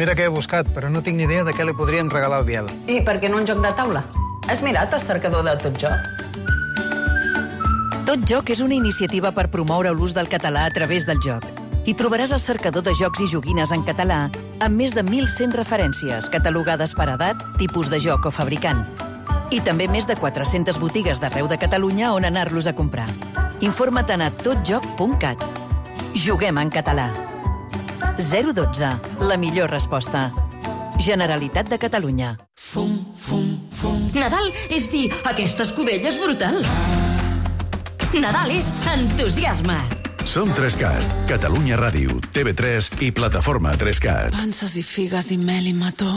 Mira que he buscat, però no tinc ni idea de què li podríem regalar al Biel. I per què no un joc de taula? Has mirat el cercador de Tot Joc? Tot Joc és una iniciativa per promoure l'ús del català a través del joc. Hi trobaràs el cercador de jocs i joguines en català amb més de mil cent referències catalogades per edat, tipus de joc o fabricant. I també més de quatre-centes botigues d'arreu de Catalunya on anar-los a comprar. Informa't a totjoc punt cat. Juguem en català. zero dotze. La millor resposta. Generalitat de Catalunya. Fum, fum, fum. Nadal és dir, aquesta escudella és brutal. Nadal és entusiasme. Som tres cat, Catalunya Ràdio, T V tres i Plataforma tres cat. Panses i figues i mel i mató.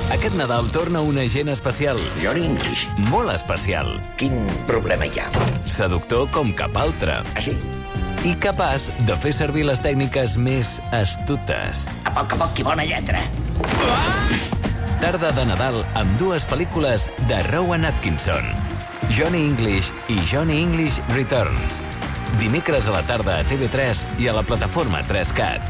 Aquest Nadal torna un agent especial. Johnny English. Molt especial. Quin problema hi ha? Seductor com cap altre. Ah, sí? I capaç de fer servir les tècniques més astutes. A poc a poc, que bona lletra. Tarda de Nadal amb dues pel·lícules de Rowan Atkinson. Johnny English i Johnny English Returns. Dimecres a la tarda a T V tres i a la plataforma tres cat.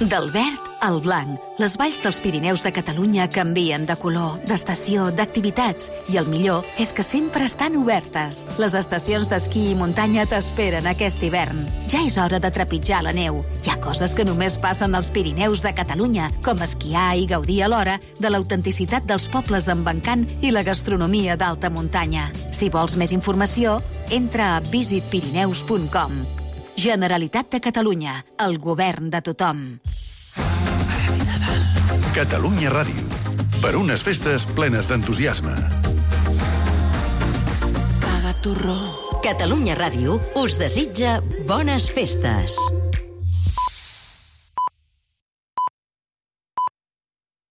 Del verd al blanc, les valls dels Pirineus de Catalunya canvien de color, d'estació, d'activitats, i el millor és que sempre estan obertes. Les estacions d'esquí i muntanya t'esperen aquest hivern. Ja és hora de trepitjar la neu. Hi ha coses que només passen als Pirineus de Catalunya, com esquiar i gaudir alhora de l'autenticitat dels pobles amb encant i la gastronomia d'alta muntanya. Si vols més informació, entra a visit pirineus punt com. Generalitat de Catalunya, el govern de tothom. Catalunya Ràdio. Per unes festes plenes d'entusiasme. Paga torró. Catalunya Ràdio us desitja bones festes.